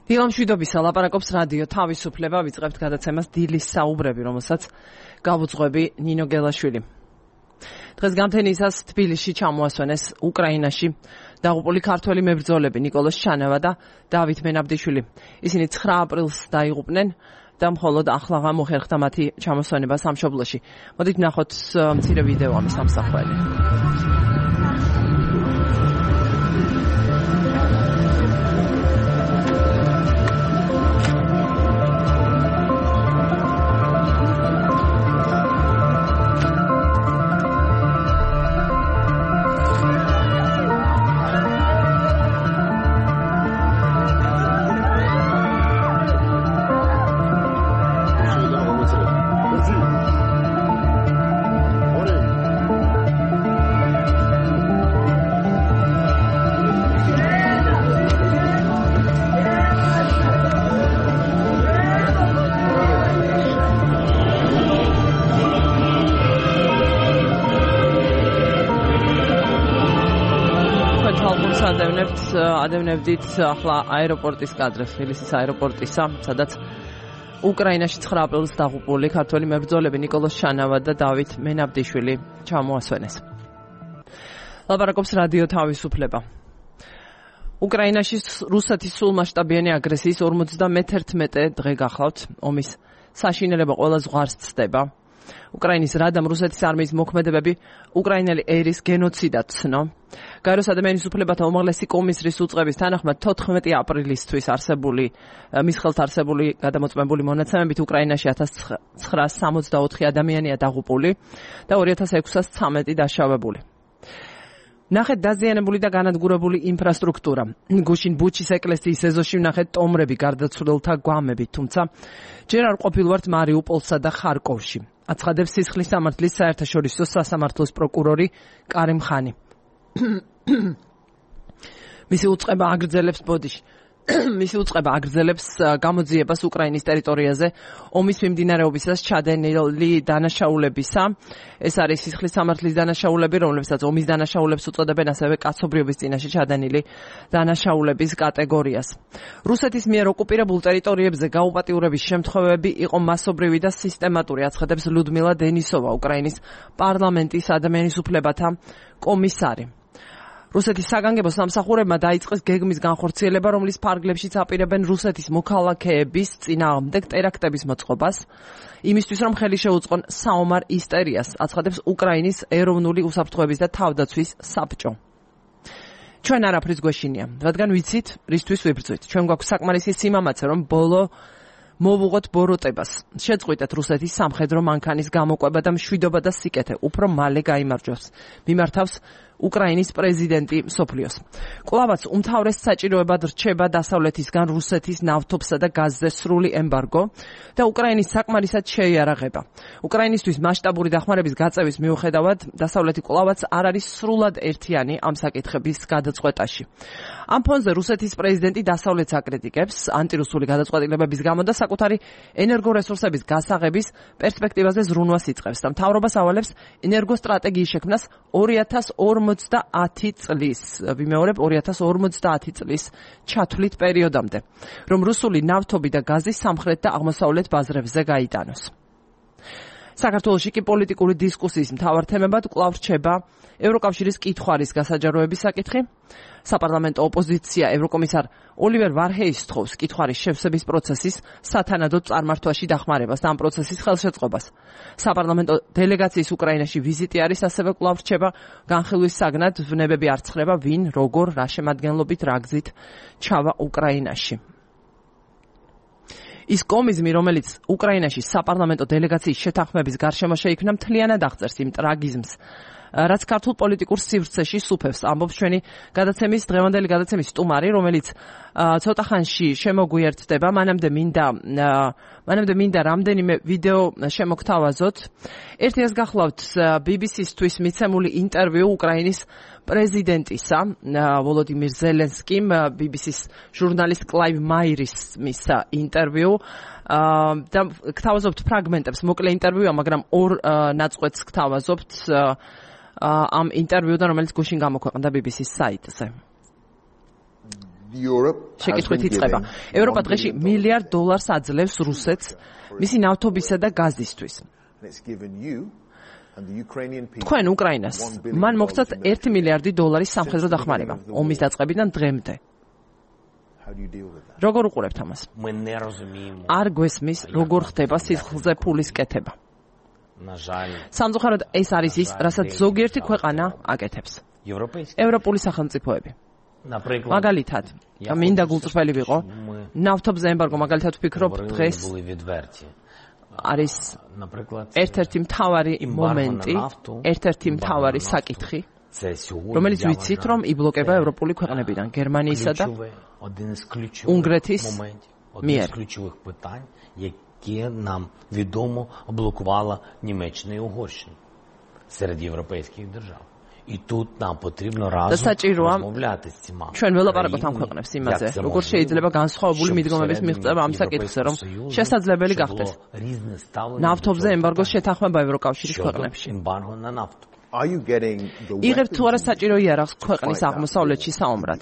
დილამშვიდობისა ლაპარაკობს რადიო თავისუფლება, ვიწყებთ გადაცემას დილის საუბრები, რომელსაც გავუძღვები ნინო გელაშვილი. დღეს გამთენისას თბილისში ჩამოასვენეს უკრაინაში დაღუპული ქართველი მებრძოლები ნიკოლოზ ჩანავა და დავით მენაბდიშვილი. ისინი 9 აპრილს დაიღუპნენ და მხოლოდ ახლა მოხერხდა მათი ჩამოსვენება სამშობლოში. მოდით ვნახოთ მცირე ვიდეო ამის ამსახველი. ადევნებდით ახლა აეროპორტის კადრებს, თბილისის აეროპორტისა, სადაც უკრაინაში 9 აპრილს დაღუპული ქართველი მებრძოლები ნიკოლოზ ჩანავა და დავით მენაბდიშვილი ჩამოასვენეს. ლაპარაკობს რადიო თავისუფლება. უკრაინაში რუსეთის სრულმასშტაბიანი აგრესიის 51 დღე გახლავთ. ომის საშინელება ყველა ზღვარს ცდება. უკრაინის რადამ რუსეთის არმიის მოქმედებები უკრაინელი ერის გენოციდად ცნო. გაეროს ადამიანის უფლებათა უმაღლესი კომისრის უწყების თანახმად 14 აპრილისთვის მის ხელთ არსებული გადამოწმებული მონაცემებით უკრაინაში 1964 ადამიანია დაღუპული და 2613 დაშავებული. ნახეთ დაზიანებული და განადგურებული ინფრასტრუქტურა. გუშინ ბუჩის ეკლესიის ეზოში ვნახეთ ტომრები გარდაცვლილთა გვამებით, თუმცა ჯერ არ ყოფილვართ მარიუპოლსა და ხარკოვში. აცხადებს სისხლის სამართლის საერთაშორისო სასამართლოს პროკურორი კარიმ ხანი. მისი უწყება აგრძელებს გამოძიებას უკრაინის ტერიტორიაზე ომის მიმდინარეობისას ჩადენილი დანაშაულებისა. ეს არის სისხლის სამართლის დანაშაულები, რომლებსაც ომის დანაშაულებს უწოდებენ, ასევე კაცობრიობის წინაშე ჩადენილი დანაშაულების კატეგორიას. რუსეთის მიერ ოკუპირებულ ტერიტორიებზე გაუპატიურების შემთხვევები იყო მასობრივი და სისტემატური, აცხადებს ლუდმილა დენისოვა, უკრაინის პარლამენტის ადამიანის უფლებათა კომისარი. რუსეთის საგანგებო სამსახურებმა დაიწყეს გეგმის განხორციელება, რომლის ფარგლებშიც აპირებენ რუსეთის მოქალაქეების წინააღმდეგ ტერაქტების მოწყობას, იმისთვის რომ ხელი შეუწყონ საომარ ისტორიას, აცხადებს უკრაინის ეროვნული უსაფრთხოების და თავდაცვის საბჭო. ჩვენ არაფრის გვეშინია, რადგან ვიცით, რისთვის ვიბრძვით. ჩვენ გვაქვს საკმარისი სიმამაცე, რომ მოვუღოთ ბოროტებას. შეწყვიტეთ რუსეთის სამხედრო მანქანის გამოყვება და მშვიდობა და სიკეთე უფრო მალე გაიმარჯვებს. მიმართავს უკრაინის პრეზიდენტი მსოფლიოს. კვლავაც უმთავრეს საჭიროებად რჩება დასავლეთისგან რუსეთის ნავთობსა და გაზზე სრული ემბარგო და უკრაინის საკმარისად შეიარაღება. უკრაინისთვის მასშტაბური დახმარების გაწევის მიუხედავად, დასავლეთი კვლავაც არ არის სრულად ერთიანი ამ საკითხების გადაწყვეტაში. ამ ფონზე რუსეთის პრეზიდენტი დასავლეთს აკრიტიკებს ანტირუსული გადაწყვეტილებების გამო და საკუთარი ენერგორესურსების გასაღების პერსპექტივაზე ზრუნვას იწყებს და მთავრობას ავალებს ენერგოსტრატეგიის შექმნას 2050 წლის, ვიმეორებ 2050 წლის ჩათვლით პერიოდამდე, რომ რუსული ნავთობი და გაზი სამხრეთ და აღმოსავლეთ ბაზრებზე გაიტანოს. საქართველოში კი პოლიტიკური დისკუსიის მთავარ თემებად კვლავ რჩება ევროკავშირის კითხვარის გასაჯაროების საკითხი. საპარლამენტო ოპოზიცია ევროკომისარ ოლივერ ვარჰეის თხოვს კითხვარის შევსების პროცესის სათანადო წარმართვაში დახმარებას და ამ პროცესის ხელშეწყობას. საპარლამენტო დელეგაციის უკრაინაში ვიზიტი არის, ასევე კვლავ რჩება განხილვის საგნად, ვნებები არ ცხრება, ვინ, როგორ, რა შემადგენლობით, რა გზით ჩავა უკრაინაში. ის კომიზმი, რომელიც უკრაინაში საპარლამენტო დელეგაციის შეთანხმების გარშემო შეიქმნა, მთლიანად აღწერს იმ ტრაგიზმს, რაც ქართულ პოლიტიკურ სივრცეში სუფევს, ამბობს ჩვენი დღევანდელი გადაცემის სტუმარი, რომელიც ცოტა ხანში შემოგვიერთდება. მანამდე მინდა რამდენიმე ვიდეო შემოგთავაზოთ. ერთიას გახლავთ BBC-ისთვის მიცემული ინტერვიუ უკრაინის პრეზიდენტისა ვოლოდიმირ ზელენსკიმ, BBC-ს ჟურნალისტ კლაივ მაირის მისცა ინტერვიუ და გთავაზობთ ფრაგმენტებს, მოკლე ინტერვიუა, მაგრამ ორ ნაწყვეტს გთავაზობთ ამ ინტერვიუდან, რომელიც გუშინ გამოქვეყნდა BBC-ს საიტზე. შეკითხვით იწყება. ევროპა დღეში $1 მილიარდ აძლევს რუსეთს მისი ნავთობისა და გაზისთვის. თქვენ უკრაინას მან მოგცათ $1 მილიარდი სამხედრო დახმარება ომის დაწყებიდან დღემდე. როგორ უყურებთ ამას? არ გვესმის, როგორ ხდება სისხლზე ფულის კეთება. სამწუხაროდ ეს არის ის, რასაც ზოგიერთი ქვეყანა აკეთებს. ევროპული სახელმწიფოები. მაგალითად, მინდა გულწრფელი ვიყო, ნავთობზე ემბარგო მაგალითად ვფიქრობ დღეს არის ერთ-ერთი მთავარი მომენტი, ერთ-ერთი მთავარი საკითხი, რომელიც ვიცით, რომ იბლოკება ევროპული ქვეყნებიდან, გერმანიისა და უნგრეთის მიერ. Яке нам відомо блокувала Німеччина і Угорщина серед європейських держав. І тут нам потрібно разом розмовляти з цими. ჩვენ ველაპარაკობთ ამ ქვეყნებს იმაზე, როგორ შეიძლება განსხვავებული მიდგომების მიღწევა ამ საკითხზე, რომ შესაძლებელი გახდეს ნავთობზე ემბარგოს შეთანხმება ევროკავშირის ქვეყნებში. იღებთ თუ არა საჭირო იარაღს ქვეყნის აღმოსავლეთში საომრად.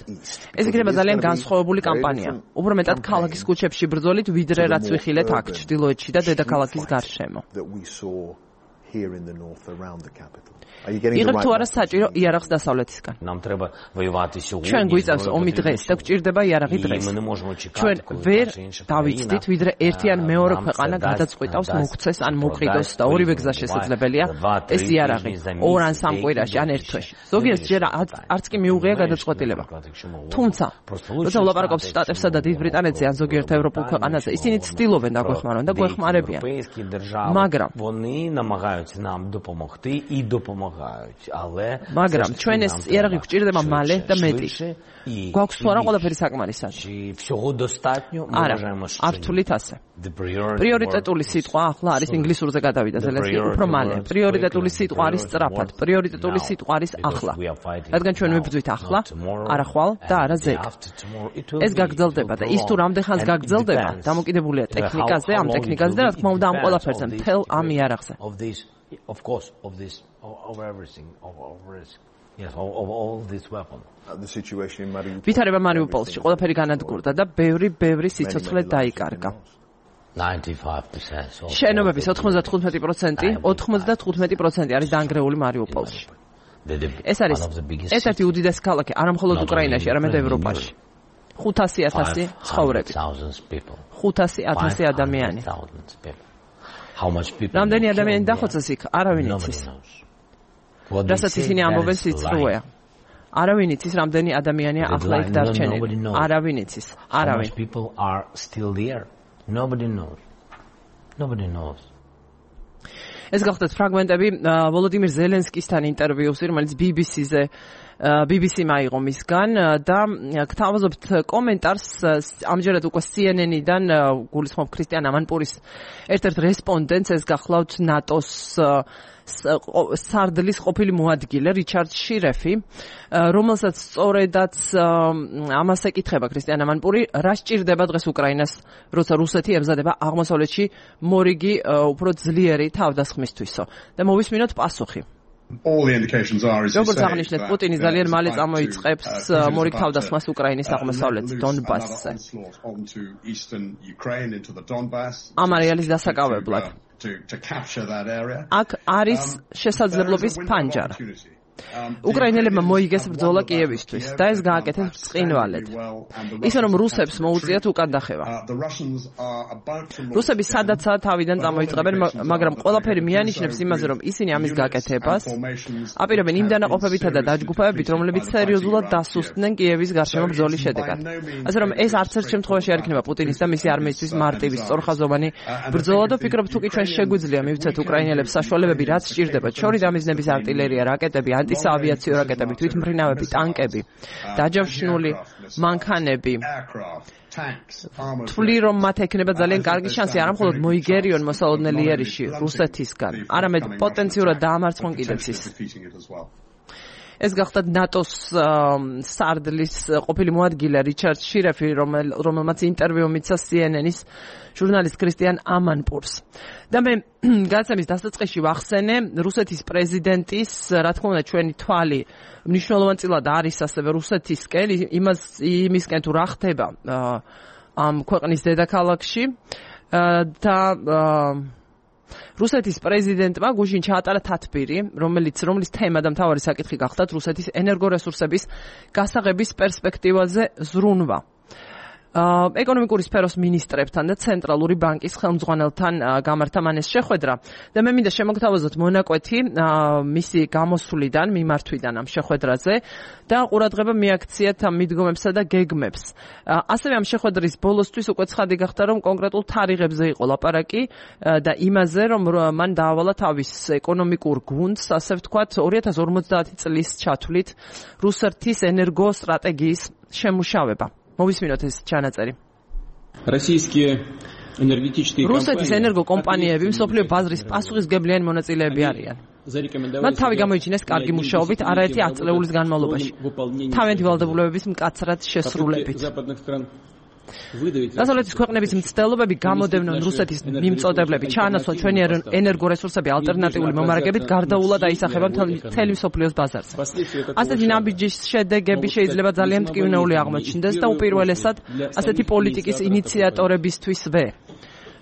ეს იქნება ძალიან განსხვავებული კამპანია. უფრო მეტად ქალაქის ქუჩებში ბრძოლით, ვიდრე რაც ვიხილეთ აქ ჩრდილოეთში და დედაქალაქის გარშემო. იღებთ თუ არა საჭირო იარაღს დასავლეთისგან. ჩვენ გვიწევს ომი დღეს და გვჭირდება იარაღი დღეს. ჩვენ ვერ დავიცდით, ვიდრე ერთი ან მეორე ქვეყანა გადაწყვიტავს მოგვცეს ან მოკიდოს და ორივე გზა შესაძლებელია ეს იარაღი 2 ან 3 კვირაში ან 1 თვეში. ზოგიერთს ჯერ არც კი მიუღია გადაწყვეტილება. თუმცა, როცა ვლაპარაკობს შტატებსა და დიდ ბრიტანეთზე ან ზოგიერთ ევროპულ ქვეყანაზე, ისინი ცდილობენ დაგვეხმარონ და გვეხმარებიან. მაგრამ მაგრამ ჩვენ ეს იარაღი გვჭირდება მალე და მეტი. გვაქვს თუ არა ყველაფერი საკმარისად? არა, არ ვთვლით ასე. პრიორიტეტული სიტყვა ახლა არის ინგლისურზე გადავიდა ზელენსკი უფრო მალე. პრიორიტეტული სიტყვა არის სწრაფად, პრიორიტეტული სიტყვა არის ახლა. რადგან ჩვენ ვიბრძვით ახლა, არა ხვალ და არა ზეგ. ეს გაგრძელდება და ის თუ რამდენ ხანს გაგრძელდება, დამოკიდებულია ტექნიკაზე, ამ ტექნიკაზე და რა თქმა უნდა ამ ყველაფერზე, მთელ ამ იარაღზე. Of course, of this, of everything, of risk. Yes, of all this weapon. The situation in Mariupol. ვითარება მარიუპოლში ყველაფერი განადგურდა და ბევრი სიცოცხლე დაიკარგა. 95%. შენობების 95% არის დანგრეული მარიუპოლში. ეს არის ერთ-ერთი უდიდესი ქალაქი არა მხოლოდ უკრაინაში, არამედ ევროპაში. 500,000 ცხოვრები. 500,000 ადამიანი. რამდენი ადამიანი დახოცეს იქ, არავინ იცის. რასაც ისინი ამბობენ სიცრუეა. არავინ იცის, რამდენი ადამიანია ახლა იქ დარჩენილი. არავინ იცის, არავინ. ეს გახლდათ ფრაგმენტები ვოლოდიმირ ზელენსკისთან ინტერვიუსი, რომელიც BBC-ზე მაიღო მისგან და გთავაზობთ კომენტარს ამჯერად უკვე CNN-დან გულისხმობ ქრისტიან ამანპურის ერთ-ერთ რესპონდენტს, ეს გახლავთ ნატოს სარდლის ყოფილი მოადგილე რიჩარდ შირეფი, რომელსაც სწორედაც ამას ეკითხება ქრისტიან ამანპური, რა სჭირდება დღეს უკრაინას, როცა რუსეთი ებზადება აღმოსავლეთში მორიგი უფრო ძლიერი თავდასხმისთვისო. და მოვისმინოთ პასუხი. როგორც აღნიშნეთ, პუტინი ძალიან მალე წამოიწყებს მორიგ თავდასხმას უკრაინის აღმოსავლეთ დონბასზე. ამ არეალის დასაკავებლად. აქ არის შესაძლებლობის ფანჯარა. უკრაინელებმა მოიგეს ბრძოლა კიევისთვის და ეს გააკეთეს ბრწყინვალედ. ისე რომ რუსებს მოუწიათ უკან დახევა. რუსები სადაცაა თავიდან წამოიწყებენ, მაგრამ ყველაფერი მიანიშნებს იმაზე, რომ ისინი ამის გაკეთებას აპირებენ იმ დანაყოფებითა და დაჯგუფებებით, რომლებიც სერიოზულად დასუსტდნენ კიევის გარშემო ბრძოლის შედეგად. ასე რომ ეს არც ერთ შემთხვევაში არ იქნება პუტინის და მისი არმიისთვის მარტივი სწორხაზოვანი ბრძოლა და ფიქრობ თუ კი ჩვენ შეგვიძლია მივცეთ უკრაინელებს საშუალებები, რაც სჭირდებათ, შორის დამიზნების არტილერია, რაკეტები, ანტისაავიაციო რაკეტები, თვითმფრინავები, ტანკები, დაჯავშნული მანქანები. თვლი რომ მათ ექნება ძალიან კარგი შანსი არა მხოლოდ მოიგერიონ მოსალოდნელი იერიში რუსეთისგან, არამედ პოტენციურად დაამარცხონ კიდეც ის. ეს გახდათ ნატოს სარდლის ყოფილი მოადგილე რიჩარდ შირეფი, რომელმაც ინტერვიუ მიცა CNN-ის ჟურნალისტ ქრისტიან ამანპურს. და მე გადაცემის დასაწყისში ვახსენე რუსეთის პრეზიდენტის, რა თქმა უნდა, ჩვენი თვალი მნიშვნელოვანწილად არის ასევე რუსეთისკენ, იმისკენ თუ რა ხდება ამ ქვეყნის დედაქალაქში და რუსეთის პრეზიდენტმა გუშინ ჩაატარა თათბირი, რომლის თემა და მთავარი საკითხი გახდათ რუსეთის ენერგორესურსების გასაღების პერსპექტივაზე ზრუნვა. ეკონომიკური სფეროს მინისტრებთან და ცენტრალური ბანკის ხელმძღვანელთან გამართა მან ეს შეხვედრა და მე მინდა შემოგთავაზოთ მონაკვეთი მისი გამოსვლიდან, მიმართვიდან ამ შეხვედრაზე და ყურადღება მიაქციათ ამ მიდგომებსა და გეგმებს. ასევე ამ შეხვედრის ბოლოსთვის უკვე ცხადი გახდა, რომ კონკრეტულ თარიღებზე იყო ლაპარაკი და იმაზე, რომ მან დაავალა თავის ეკონომიკურ გუნდს, ასე ვთქვათ, 2050 წლის ჩათვლით რუსეთის ენერგო სტრატეგიის შემუშავება. მოვისმინოთ ეს ჩანაწერი. რუსეთის ენერგოკომპანიები მსოფლიო ბაზრის პასუხისმგებლიანი მონაწილეები არიან. მათ თავი გამოიჩინეს კარგი მუშაობით არაერთი 10 წლეულის განმავლობაში. თავიანთი ვალდებულებების მკაცრად შესრულებით. დასავლეთის ქვეყნების მცდელობები გამოდევნონ რუსეთის მიმწოდებლები ჩაანაცვლონ ჩვენი ენერგორესურსები ალტერნატიული მომარაგებით გარდაულად აისახება მთელი მსოფლიოს ბაზარზე. ასეთი ნაბიჯის შედეგები შეიძლება ძალიან მტკივნეული აღმოჩნდეს და უპირველესად ასეთი პოლიტიკის ინიციატორებისთვისვე.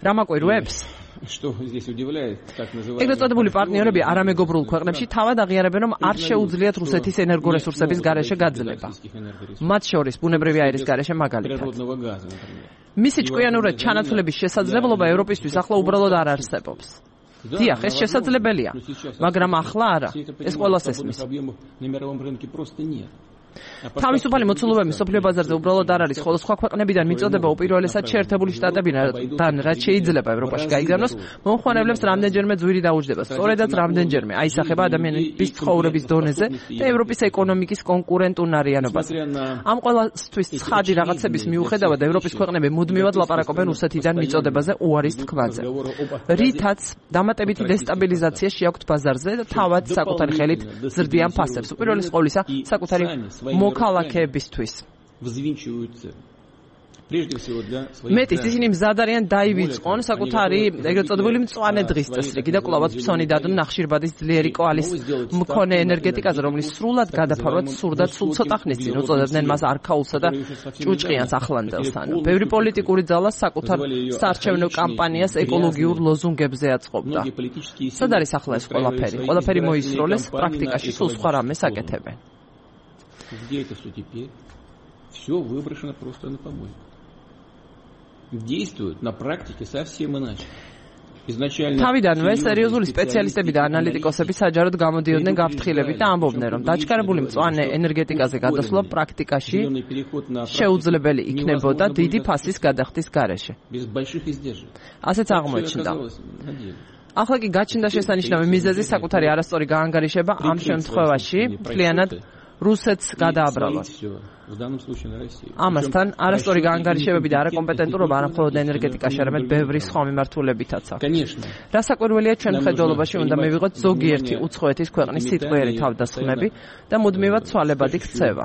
რა მაკვირვებს? ეგრეთ წოდებული პარტნიორები არამეგობრულ ქვეყნებში თავად აღიარებენ, რომ არ შეუძლიათ რუსეთის ენერგორესურსების გარეშე გაძლება. მათ შორის ბუნებრივი აირის გარეშე მაგალითად. მისი ჭკვიანურად ჩანაცვლების შესაძლებლობა ევროპისთვის ახლა უბრალოდ არ არსებობს. დიახ, ეს შესაძლებელია, მაგრამ ახლა არა. ეს ყველას ესმის. თავისუფალი მოცულობები მსოფლიო ბაზარზე უბრალოდ არ არის, ხოლო სხვა ქვეყნებიდან მიწოდება უპირველესად შეერთებული შტატებიდან, რაც შეიძლება ევროპაში გაიგზავნოს, მომხმარებლებს რამდენჯერმე ძვირი დაუჯდება. სწორედაც რამდენჯერმე აისახება ადამიანების ცხოვრების დონეზე და ევროპის ეკონომიკის კონკურენტუნარიანობას. ამ ყველასთვის ცხადი რაღაცების მიუხედავად, ევროპის ქვეყნები მუდმივად ლაპარაკობენ რუსეთიდან მიწოდებაზე უარის თქმაზე. რითაც დამატებითი დესტაბილიზაცია შეაქვთ ბაზარზე და თავად საკუთარი ხელით ზრდიან ფასებს. უპირველეს ყოვლისა, საკუთარი მოქალაქეებისთვის. მეტიც ისინი მზად არიან დაივიწყონ საკუთარი ეგრეთ წოდებული მწვანე დღის წესრიგი და კვლავაც ფსონი დადონ ნახშირბადის ძლიერი კვალის მქონე ენერგეტიკაზე, რომლის სრულად გადაფარვაც სურდათ სულ ცოტა ხნის წინ უწოდებდნენ მას არქაულსა და ჭუჭყიანს ახლანდელს. ბევრი პოლიტიკური ძალა საკუთარ საარჩევნო კამპანიას ეკოლოგიურ ლოზუნგებზე აწყობდა. სად არის ახლა ეს ყველაფერი? ყველაფერი მოისროლეს, პრაქტიკაში სულ სხვა რამეს აკეთებენ. Где это все теперь? Все выброшено просто на помойку. Действуют на практике совсем иначе. თავიდანვე სერიოზული სპეციალისტები და ანალიტიკოსები საჯაროდ გამოდიოდნენ გაფრთხილებით და ამბობდნენ, რომ დაჩქარებული მწვანე ენერგეტიკაზე გადასვლა პრაქტიკაში შეუძლებელი იქნებოდა დიდი ფასის გადახდის გარეშე. ასეც აღმოჩნდა. ახლა კი გაჩნდა შესანიშნავი მიზეზი საკუთარი არასწორი გაანგარიშება ამ შემთხვევაში მთლიანად რუსეთს გადააბრალოს. ამასთან არასწორი გაანგარიშებები და არაკომპეტენტურობა არა მხოლოდ ენერგეტიკაში, არამედ ბევრი სხვა მიმართულებითაც აქვს. რასაკვირველია, ჩვენ მხედველობაში უნდა მივიღოთ ზოგიერთი უცხოეთის ქვეყნის სიტყვიერი თავდასხმები და მუდმივად ცვალებადი ქცევა.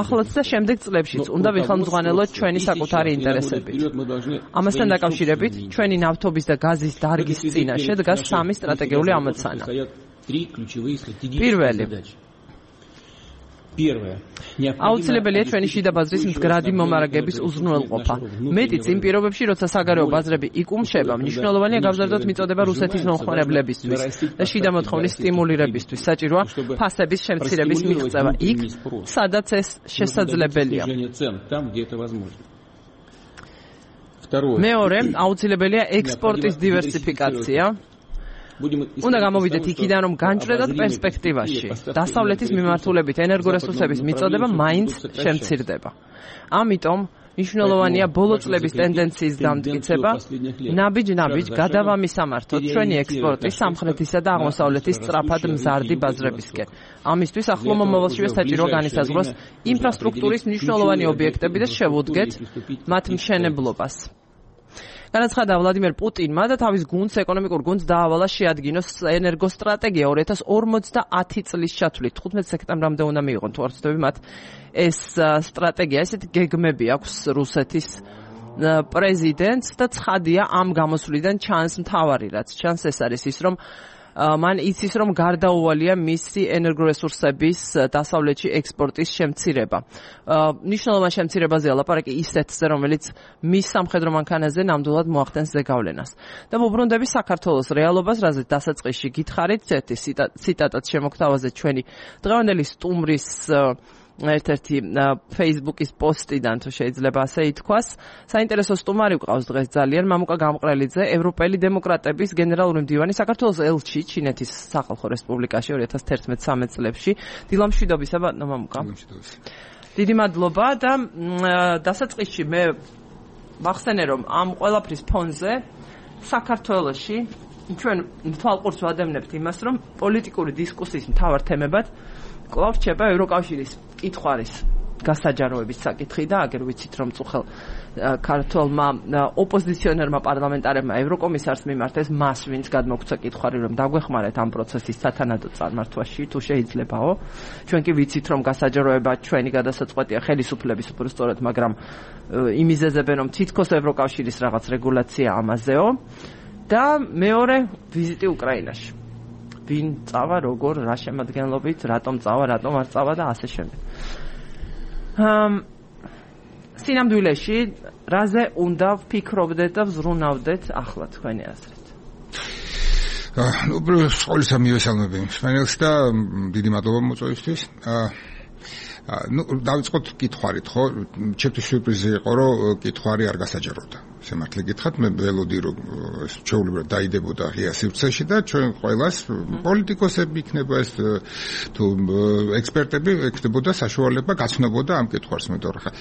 ახლაც და შემდეგ წლებშიც უნდა ვიხელმძღვანელოთ ჩვენი საკუთარი ინტერესებით. ამასთან დაკავშირებით, ჩვენი ნავთობის და გაზის დარგის წინაშე დგას სამი სტრატეგიული ამოცანა. პირველი, აუცილებელია ჩვენი შიდა ბაზრის მდგრადი მომარაგების უზრუნველყოფა. მეტიც იმ პირობებში, როცა საგარეო ბაზრები იკუმშება, მნიშვნელოვანია გავზარდოთ მიწოდება რუსეთის მომხმარებლებისთვის და შიდა მოთხოვნის სტიმულირებისთვის. საჭიროა ფასების შემცირების მიღწევა იქ, სადაც ეს შესაძლებელია. მეორე, აუცილებელია ექსპორტის დივერსიფიკაცია. უნდა გამოვიდეთ იქიდან, რომ განჭრედად პერსპექტივაში დასავლეთის მიმართულებით ენერგორესურსების მიწოდება მაინც შემცირდება. ამიტომ მნიშვნელოვანია ბოლო წლების ტენდენციის დამტკიცება, ნაბიჯ-ნაბიჯ გადავამისამართოთ ჩვენი ექსპორტი სამხრეთისა და აღმოსავლეთის სწრაფად მზარდი ბაზრებისკენ. ამისთვის ახლო მომავალშივე საჭიროა განისაზღვროს ინფრასტრუქტურის მნიშვნელოვანი ობიექტები და შევუდგეთ მათ მშენებლობას. განაცხადა ვლადიმერ პუტინმა და თავის გუნდს, ეკონომიკურ გუნდს დაავალა შეადგინოს ენერგოსტრატეგია 2050 წლის ჩათვლით. 15 სექტემბრამდე უნდა მიიღონ თუ არ ვცდები მათ ეს სტრატეგია. ესეთი გეგმები აქვს რუსეთის პრეზიდენტს და ცხადია ამ გამოსვლიდან ჩანს მთავარი რაც ჩანს ეს არის ის რომ მან იცის რომ გარდაუვალია მისი ენერგორესურსების დასავლეთში ექსპორტის შემცირება. ნიშნულოვან შემცირებაზეა ლაპარაკი ისეთზე რომელიც მის სამხედრო მანქანაზე ნამდვილად მოახდენს ზეგავლენას. და ვუბრუნდები საქართველოს რეალობას, რაზეც დასაწყისში გითხარით, ერთი ციტატაც შემოგთავაზე ჩვენი დღევანდელი სტუმრის ერთ-ერთი Facebook-ის პოსტიდან თუ შეიძლება ასე ითქვას. საინტერესო სტუმარი ვყავს დღეს ძალიან მამუკა გამყრელიძე, ევროპელი დემოკრატების გენერალური მდივანი საქართველოს ელჩი ჩინეთის სახალხო რესპუბლიკაში 2011-13 წლებში. დილამშვიდობისა ბატონო მამუკა. დიდი მადლობა და დასაწყისში მე ვახსენე რომ ამ ყველაფრის ფონზე საქართველოში ჩვენ თვალყურს ვადევნებთ იმას რომ პოლიტიკური დისკუსიის მთავარ თემებად კვლავ რჩება ევროკავშირის კითხვარის გასაჯაროების საკითხი და აგერ ვიცით რომ წუხელ ქართულმა ოპოზიციონერმა პარლამენტარებმა ევროკომისარს მიმართეს მას ვინც გადმოგვცა კითხვარი რომ დაგვეხმარეთ ამ პროცესის სათანადო წარმართვაში თუ შეიძლებაო ჩვენ კი ვიცით რომ გასაჯაროება ჩვენი გადასაწყვეტია ხელისუფლების უბრალოდ მაგრამ იმიზეზებენ რომ თითქოს ევროკავშირის რაღაც რეგულაცია ამაზეო და მეორე ვიზიტი უკრაინაში ვინ წავა, როგორ, რა შემადგენლობით, რატომ წავა, რატომ არ წავა და ასე შემდეგ. სინამდვილეში, რაზე უნდა ვფიქრობდეთ და ვზრუნავდეთ ახლა თქვენი აზრით? სკოლისა მივესალმები მსმენელს და დიდი მადლობა მოწვევისთვის. დავიწყოთ კითხვარით, ხო? ჩემთვის სიურპრიზი იყო, რომ კითხვარი არ გასაჯაროვდა. სიმართლე გითხრათ, მე ველოდი რომ ეს ჩვეულებრივად დაიდებოდა ღია სივრცეში და ჩვენ ყველას პოლიტიკოსები იქნება ეს თუ ექსპერტები ექნებოდა საშუალება გაცნობოდა ამ კითხვარს მე თორე ხა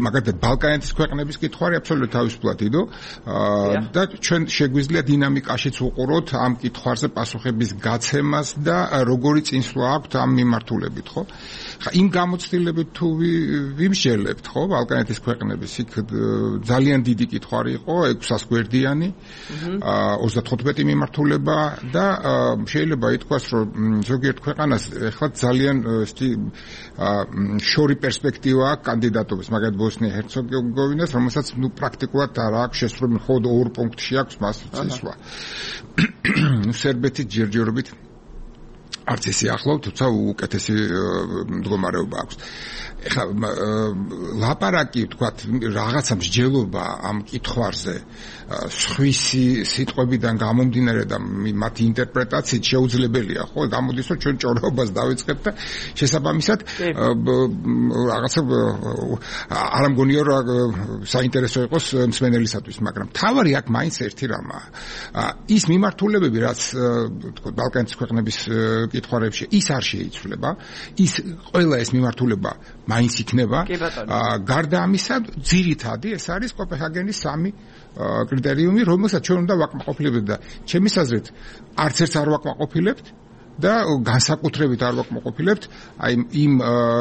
მაგალითად ბალკანეთის ქვეყნების კითხვარი აბსოლუტურად თავისუფლად იდო და ჩვენ შეგვიძლია დინამიკაშიც უყუროთ ამ კითხვარზე პასუხების გაცემას და როგორი წინსვლა აქვს ამ მიმართულებით, ხო? ხა იმ გამოცდილებით თუ ვიმსჯელებთ, ხო, ბალკანეთის ქვეყნების იქ ძალიან დიდი კითხვარი იყო 600 გვერდიანი 35 მიმართულება და შეიძლება ითქვას რომ ზოგიერთ ქვეყანას ეხლა ძალიან შორი პერსპექტივა აქვს კანდიდატობის მაგალითად ბოსნია-ჰერცეგოვინას რომელსაც პრაქტიკულად არ აქვს შესრულებული მხოლოდ 2 პუნქტში აქვს მას წინსვლა სერბეთი ჯერჯერობით არც ისე ახლავ, თუმცა უკეთესი მდგომარეობა აქვს. ეხლა ლაპარაკი თქვათ რაღაცა მსჯელობა ამ კითხვარზე სხვისი სიტყვებიდან გამომდინარე და მათი ინტერპრეტაციით შეუძლებელია, ხო? გამოდის რომ ჩვენ ჭორობას დავიწყებთ და შესაბამისად რაღაცა არ მგონია რომ საინტერესო იყოს მსმენელისათვის, მაგრამ თავარი აქ მაინც ერთი რამაა. ის მიმართულებები, რაც თქო ბალკანეთის ქვეყნების კითხვარებში ის არ შეიცვლება, ის ყველა ეს მიმართულება მაინც იქნება. გარდა ამისა, ძირითადი ეს არის კოპენჰაგენის 3 კრიტერიუმი, რომელსაც ჩვენ უნდა ვაკმაყოფილებდეთ და ჩემის აზრით არც ერთს არ ვაკმაყოფილებთ და განსაკუთრებით არ ვაკმაყოფილებთ აი იმ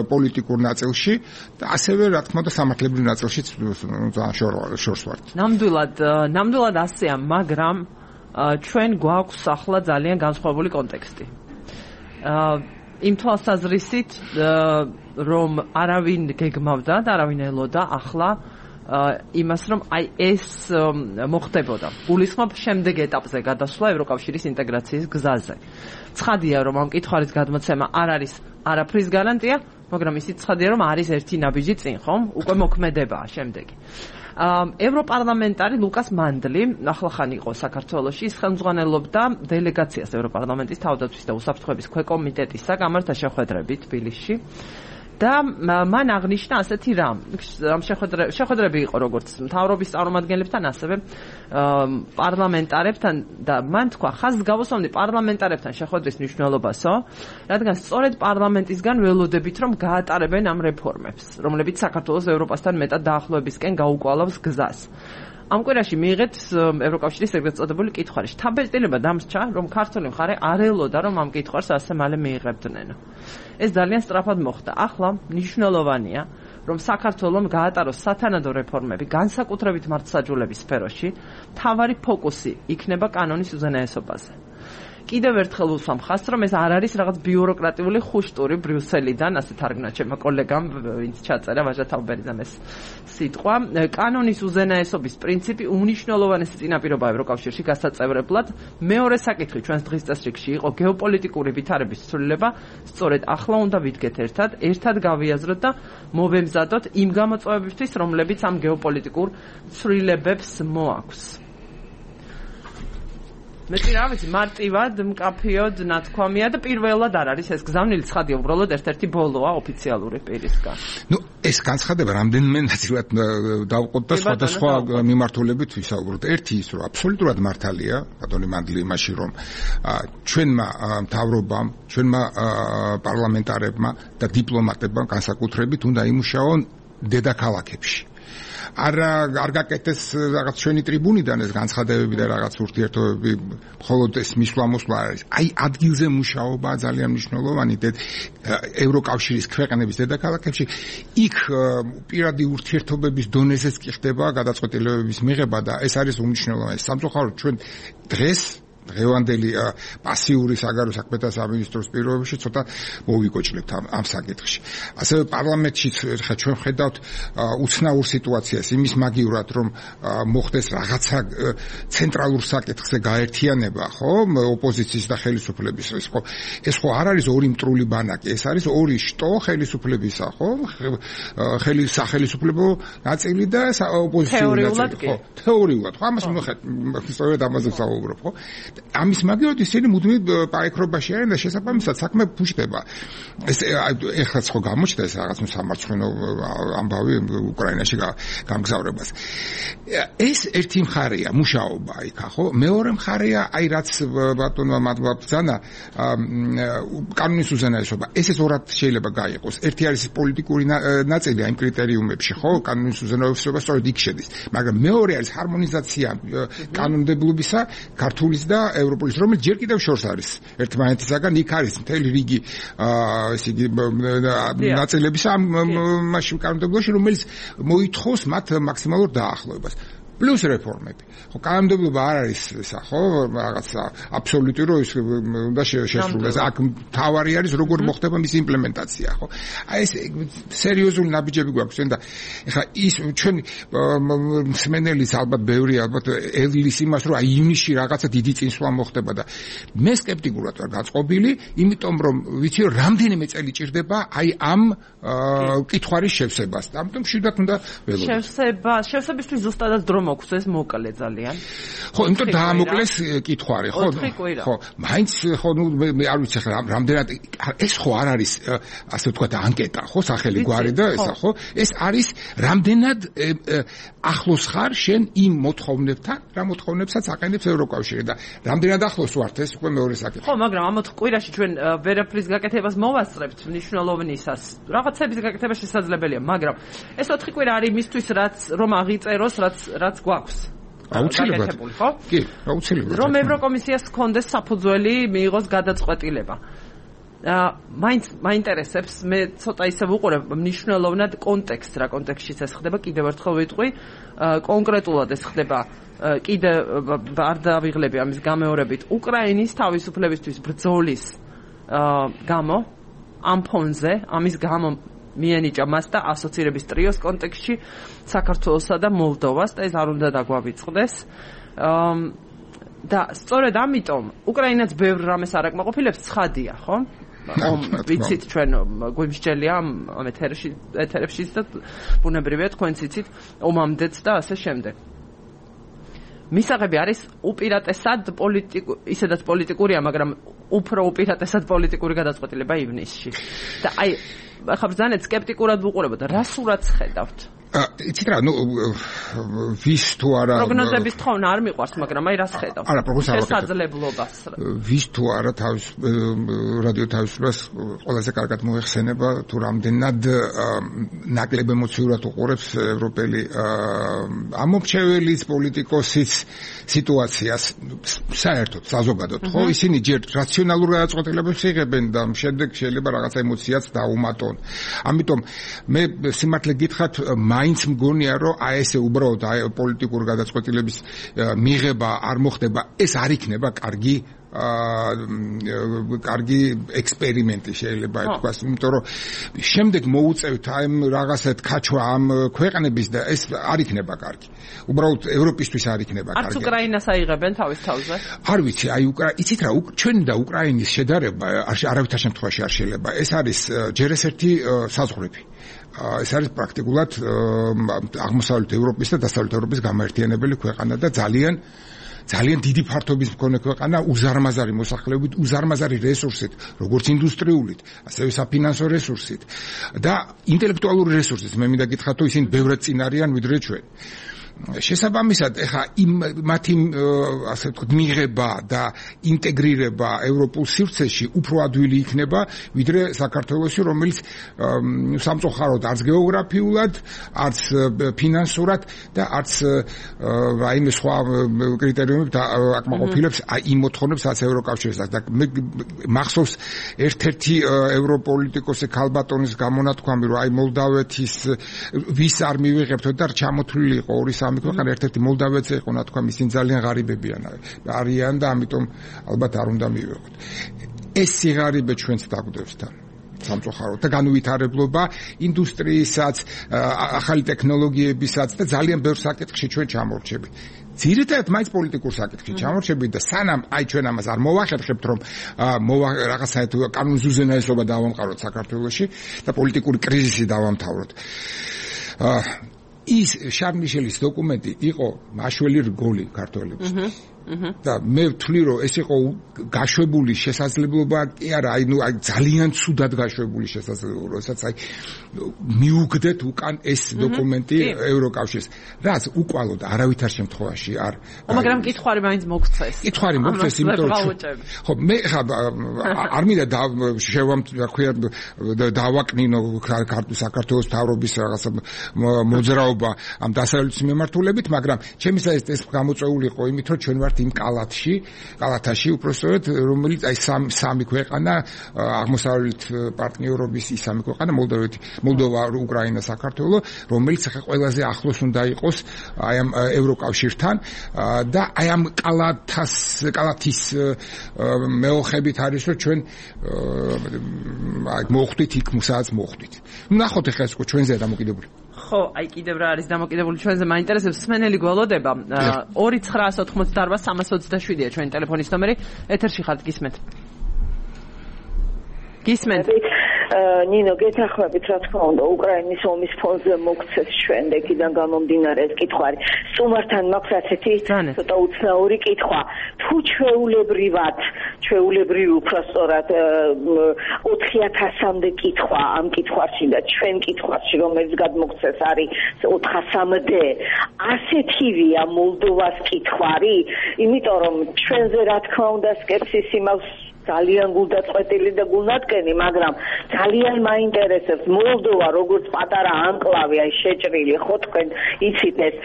პოლიტიკურ ნაწილში და ასევე რა თქმა უნდა სამართლებრივ ნაწილშიც შორს ვართ. ნამდვილად ასეა, მაგრამ ჩვენ გვაქვს ახლა ძალიან განსხვავებული კონტექსტი. იმ თვალსაზრისით რომ არავინ გეგმავდა და არავინ ელოდა ახლა იმას რომ აი ეს მოხდებოდა. გულისხმობ შემდეგ ეტაპზე გადასვლა ევროკავშირის ინტეგრაციის გზაზე. ცხადია რომ ამ კითხვარის გადმოცემა არ არის არაფრის გარანტია, მაგრამ ისიც ცხადია რომ არის ერთი ნაბიჯი წინ, ხომ? უკვე მოქმედებაა შემდეგი. ევროპარლამენტარი ლუკას მანდლი ახლახან იყო საქართველოში, ის ხელმძღვანელობდა დელეგაციას ევროპარლამენტის თავდაცვის და უსაფრთხოების ქვეკომიტეტის გამართა შეხვედრებით თბილისში. და მან აღნიშნა ასეთი რამ შეხვედრები იყო როგორც მთავრობის წარმომადგენლებთან, ასევე პარლამენტარებთან და მან თქვა ხაზს გავუსვამდი პარლამენტარებთან შეხვედრის მნიშვნელობასო, რადგან სწორედ პარლამენტისგან ველოდებით რომ გაატარებენ ამ რეფორმებს, რომლებიც საქართველოს ევროპასთან მეტად დაახლოებისკენ გაუკვალავს გზას. ამ კვირაში მიიღეთ ევროკავშირის ეგრეთ წოდებული კითხვარი. შთაბეჭდილება დამრჩა, რომ ქართული მხარე არ ელოდა, რომ ამ კითხვარს ასე მალე მიიღებდნენ. ეს ძალიან სწრაფად მოხდა. ახლა მნიშვნელოვანია, რომ საქართველოს გაატაროს სათანადო რეფორმები განსაკუთრებით მართლმსაჯულების სფეროში, მთავარი ფოკუსი იქნება კანონის უზენაესობაზე. კიდევ ერთხელ ვუსვამ ხაზს, რომ ეს არ არის რაღაც ბიუროკრატიული ხუშტური ბრიუსელიდან, ასე თარგმნა ჩემმა კოლეგამ, ვინც ჩაწერა ვაჟა თავბერიძემ ეს სიტყვა. კანონის უზენაესობის პრინციპი უნიშნელოვანესი წინაპირობაა ევროკავშირში გასაწევრებლად. მეორე საკითხი ჩვენს დღის წესრიგში იყო გეოპოლიტიკური ვითარების ცვლილება. სწორედ ახლა უნდა ვიდგეთ ერთად გავიაზროთ და მოვემზადოთ იმ გამოწვევებისთვის, რომლებიც ამ გეოპოლიტიკურ ცვლილებებს მოაქვს. მე რა ვიცი, მარტივად, მკაფიოდ, ნათქვამია და პირველად არ არის ეს გზავნილი ცხადია, უბრალოდ ერთ-ერთი ბოლოა ოფიციალური პირისგან. ეს განცხადება რამდენიმე ნაწილად დავყოთ და სხვადასხვა მიმართულებით ვისაუბროთ. ერთი ის, რომ აბსოლუტურად მართალია, ბატონი მანდლი იმაში, რომ ჩვენმა მთავრობამ, ჩვენმა პარლამენტარებმა და დიპლომატებმა განსაკუთრებით უნდა იმუშაონ დედაქალაქებში. არ გაკეთეს რაღაც ჩვენი ტრიბუნიდან ეს განცხადებები და რაღაც ურთიერთობები, მხოლოდ ეს მისვლა-მოსვლა არის. აი ადგილზე მუშაობა ძალიან მნიშვნელოვანი ევროკავშირის ქვეყნების დედაქალაქებში. იქ პირადი ურთიერთობების დონეზეც კი ხდება გადაწყვეტილებების მიღება და ეს არის უმნიშვნელოვანესი. სამწუხაროდ ჩვენ დღევანდელი პასიური საგარეო საქმეთა სამინისტროს პირობებში ცოტა მოვიკოჭლებთ ამ საკითხში. ასევე პარლამენტში ხა ჩვენ ხედავთ უცნაურ სიტუაციას იმის მაგივრად, რომ მოხდეს რაღაცა ცენტრალურ საკითხზე გაერთიანება, ხო, ოპოზიციის და ხელისუფლების. ეს ხო არ არის ორი მტრული ბანაკი, ეს არის ორი შტო ხელისუფლებისა, ხო? სახელისუფლებო ნაწილი და ოპოზიციური ნაწილი, ხო? თეორიულად, ხო, ამას სწორედ ამაზე ვსაუბრობ, ხო? ამის მაგივრად ისინი მუდმივ პაექრობაში არიან და შესაბამისად საქმე ფუჭდება. ეს ეხლა ხო გამოჩნდა ეს რაღაც სამარცხვინო ამბავი უკრაინაში გამგზავრებას. ეს ერთი მხარეა მუშაობა იქა, ხო? მეორე მხარეა აი რაც ბატონმა მადლაბძანა კანონის უზენაესობა. ეს ორად შეიძლება გაიყოს. ერთი არის პოლიტიკური ნაწილი ამ კრიტერიუმებში, ხო? კანონის უზენაესობა სწორედ იქ შედის. მაგრამ მეორე არის ჰარმონიზაცია კანონმდებლობისა ქართულის და ევროპულის, რომელიც ჯერ კიდევ შორს არის ერთმანეთისაგან. იქ არის მთელი რიგი ესე იგი ნაწილებისა ამ მასში კანონმდებლობაში, რომელიც მოითხოვს მათ მაქსიმალურ დაახლოებას. პლუს რეფორმები. ხო, კანონმდებლობა არ არის ესა, ხო, რაღაცა აბსოლუტური რო ის უნდა შესრულდეს. აქ თავარი არის როგორ მოხდება მის იმპლემენტაცია, ხო? აი ეს სერიოზული ნაბიჯები გვაქვს და ეხლა ის ჩვენ მსმენელის ალბათ ბევრი ალბათ ელვის იმას რომ აი ივნისში რაღაცა დიდი წინსვლა მოხდება და მე სკეპტიკურად ვარ გაწყობილი, იმიტომ რომ ვიცი რომ რამდენიმე წელი ჭირდება აი ამ კითხვარის შევსებას. ამიტომ შვიდად უნდა ველოდოთ. შევსებისთვის ზუსტადად დრო მოგვს ეს მოკლე ძალიან. ხო, იმიტომ დაამოკლეს კითხვარი, ხო? ხო, მაინც ხო, ნუ მე არ ვიცი ხა რამდენად ეს ხო არ არის ასე ვთქვათ ანკეტა, ხო, სახელი გვარი და ესა, ხო? ეს არის რამდენად ახლოს ხარ შენ იმ მოთხოვნებთან, რა მოთხოვნებსაც აყენებს ევროკავშირი და რამდენად ახლოს ვართ ეს უკვე მეორე საკითხი. ხო, მაგრამ ამ 4 კვირაში ჩვენ ვერაფრის გაკეთებას მოვასწრებთ მნიშვნელოვნისას. რაღაცების გაკეთება შესაძლებელია, მაგრამ ეს 4 კვირა არის მისთვის რომ აღიწეროს რაც გვაქვს. აუცილებლად. ხო? კი, აუცილებლად. რომ ევროკომისიას ჰქონდეს საფუძველი მიიღოს გადაწყვეტილება. მაინტერესებს, მე ცოტა ისე ვუყურებ მნიშვნელოვნად კონტექსტს, რა კონტექსტშიც ეს ხდება, კიდევ ერთხელ ვიტყვი, კონკრეტულად ეს ხდება კიდე არ დავიღლები ამის გამეორებით უკრაინის თავისუფლებისთვის ბრძოლის გამო, ამ ფონზე, ამის გამო მიენიჭა მას და ასოცირების ტრიოს კონტექსტში საქართველოსა და მოლდოვას და ეს არ უნდა დაგვავიწყდეს. და სწორედ ამიტომ უკრაინაც ბევრ რამეს არ აკმაყოფილებს, ცხადია, ხო? ვიცით ჩვენ გვიმსჯელია ამ ეთერებშიც და ბუნებრივია თქვენც იცით ომამდეც და ასე შემდეგ. მისაღები არის უპირატესად ისედაც პოლიტიკურია, მაგრამ უფრო უპირატესად პოლიტიკური გადაწყვეტილება ივნისში. და აი ახლა ბრძანეთ სკეპტიკურად ვუყურებთ, რა სურათს ხედავთ? იცით რა, ვის თუ არა პროგნოზების თხოვნა არ მიყვარს, მაგრამ აი რას ხედავს? არა, პროგნოზს არ შესაძლებლობას. ვის თუ არა თავის რადიო თავისუფლებას ყველაზე კარგად მოეხსენება, თუ რამდენად ნაკლებ ემოციურად უყურებს ევროპელი ამომრჩეველის, პოლიტიკოსის სიტუაციას საერთოდ, საზოგადოდ, ხო? ისინი ჯერ რაციონალურ გადაწყვეტილებებს იღებენ და შემდეგ შეიძლება რაღაცა ემოციაც დაუმატონ. ამიტომ მე სიმართლე გითხრათ, მაინც მგონია, რომ აი ესე უბრალოდ პოლიტიკური გადაწყვეტილების მიღება არ მოხდება, ეს არ იქნება კარგი ექსპერიმენტი შეიძლება ითქვას, იმიტომ რომ შემდეგ მოუწევთ აი რაღაცად ქაჩვა ამ ქვეყნების და ეს არ იქნება კარგი. უბრალოდ ევროპისთვის არ იქნება კარგი. არც უკრაინას აიღებენ თავის თავზე? არ ვიცი, აი იცით რა, ჩვენი და უკრაინის შედარება არავითარ შემთხვევაში არ შეიძლება. ეს არის ჯერ ერთი საზღვრები. ეს არის პრაქტიკულად აღმოსავლეთ ევროპის და დასავლეთ ევროპის გამაერთიანებელი ქვეყანა და ძალიან დიდი ფართობის მქონე ქვეყანა, უზარმაზარი მოსახლეობით, უზარმაზარი რესურსით, როგორც ინდუსტრიულით, ასევე საფინანსო რესურსით და ინტელექტუალური რესურსით. მე მინდა გითხრათ, რომ ისინი ბევრად წინ არიან ვიდრე ჩვენ. შესაბამისად, ეხა მათი ასე ვთქვათ, მიღება და ინტეგრირება ევროპულ სივრცეში უფრო ადვილი იქნება, ვიდრე საქართველოში, რომელიც სამწუხაროდ არც გეოგრაფიულად, არც ფინანსურად და არც რაიმე სხვა კრიტერიუმებით აკმაყოფილებს იმ მოთხოვნებს, რაც ევროკავშირს აქვს. და მე მახსოვს ერთ-ერთი ევროპოლიტიკოსი ქალბატონის გამონათქვამი, რომ აი მოლდავეთის ვის არ მივიღებთ და ჩამოთვლილი იყო ორი სამი ქვეყანა, ერთ-ერთი მოლდავეთი იყო, ნათქვა ისინი ძალიან ღარიბებიან არიან და ამიტომ ალბათ არ უნდა მივიღოთ. ეს სიღარიბე ჩვენც დაგვდევს თან. სამწუხაროდ და განუვითარებლობა ინდუსტრიისაც, ახალი ტექნოლოგიებისაც და ძალიან ბევრ საკითხში ჩვენ ჩამორჩებით. ძირითადად მაინც პოლიტიკურ საკითხში ჩამორჩებით და სანამ აი ჩვენ ამას არ მოვახერხებთ, რომ რაღაცა კანონის უზენაესობა დავამყაროთ საქართველოში და პოლიტიკური კრიზისი დავამთავროთ. ის შარლ მიშელის დოკუმენტი იყო მაშველი რგოლი ქართველებისთვის. და მე ვთვლი, რომ ეს იყო გაშვებული შესაძლებლობა, კი არა, აი ძალიან ცუდად გაშვებული შესაძლებლობა, როდესაც აი მიუგდეთ უკან ეს დოკუმენტი ევროკავშირს. რაც უკვალოდ არავითარ შემთხვევაში არ. მაგრამ კითხვარი მაინც მოგწეს. კითხვარი მოგწეს, იმიტომ რომ ხო, მე ხა არ მინდა დავაკნინო საქართველოს მთავრობის რაღაცა მოძრაობა ამ დასავლეთის მიმართულებით, მაგრამ ჩემისათვის ეს გამოწვეული იყო იმით, რომ ჩვენ ვართ იმ კალათაში უпростоრად, რომელიც აი სამი ქვეყანა აღმოსავლეთ პარტნიორობის ის სამი ქვეყანა, მოლდოვა, უკრაინა, საქართველო, რომელიც ახლა ყველაზე ახლოს უნდა იყოს აი ამ ევროკავშირთან და აი ამ კალათის მეოხებით არის, რომ ჩვენ აი მოხვდით იქ, სადაც მოხვდით. ნახოთ ახლა ეს ჩვენზეა დამოკიდებული. ხო, აი კიდევ რა არის დამოკიდებული ჩვენზე, მაინტერესებს სმენელი გველოდება. 2988-327-ია ჩვენი ტელეფონის ნომერი. ეთერში ხართ, გისმენთ. ნინო, გეთანხმებით, რა თქმა უნდა, უკრაინის ომის ფონზე მოგცეს შემდეგიდან გამომდინარე ეს კითხვარი. სტუმართან მაქვს ასეთი ცოტა უცნაური კითხვა. თუ ჩვეულებრივი უпростоრად 4000-მდე კითხვა ამ კითხვაში და ჩვენ კითხვაში, რომელიც გადმოგცეს არის 400-მდე, ასეთივია მოლდოვას კითხვარი, იმიტომ რომ ჩვენზე რა თქმა უნდა სკეპსისი მაქვს ძალიან გულდაწყვეტილი და გულნათკენი, მაგრამ ძალიან მაინტერესებს მოლდოვა როგორც პატარა ანკლავი, აი შეჭრილი, ხო თქვენ იცით ეს,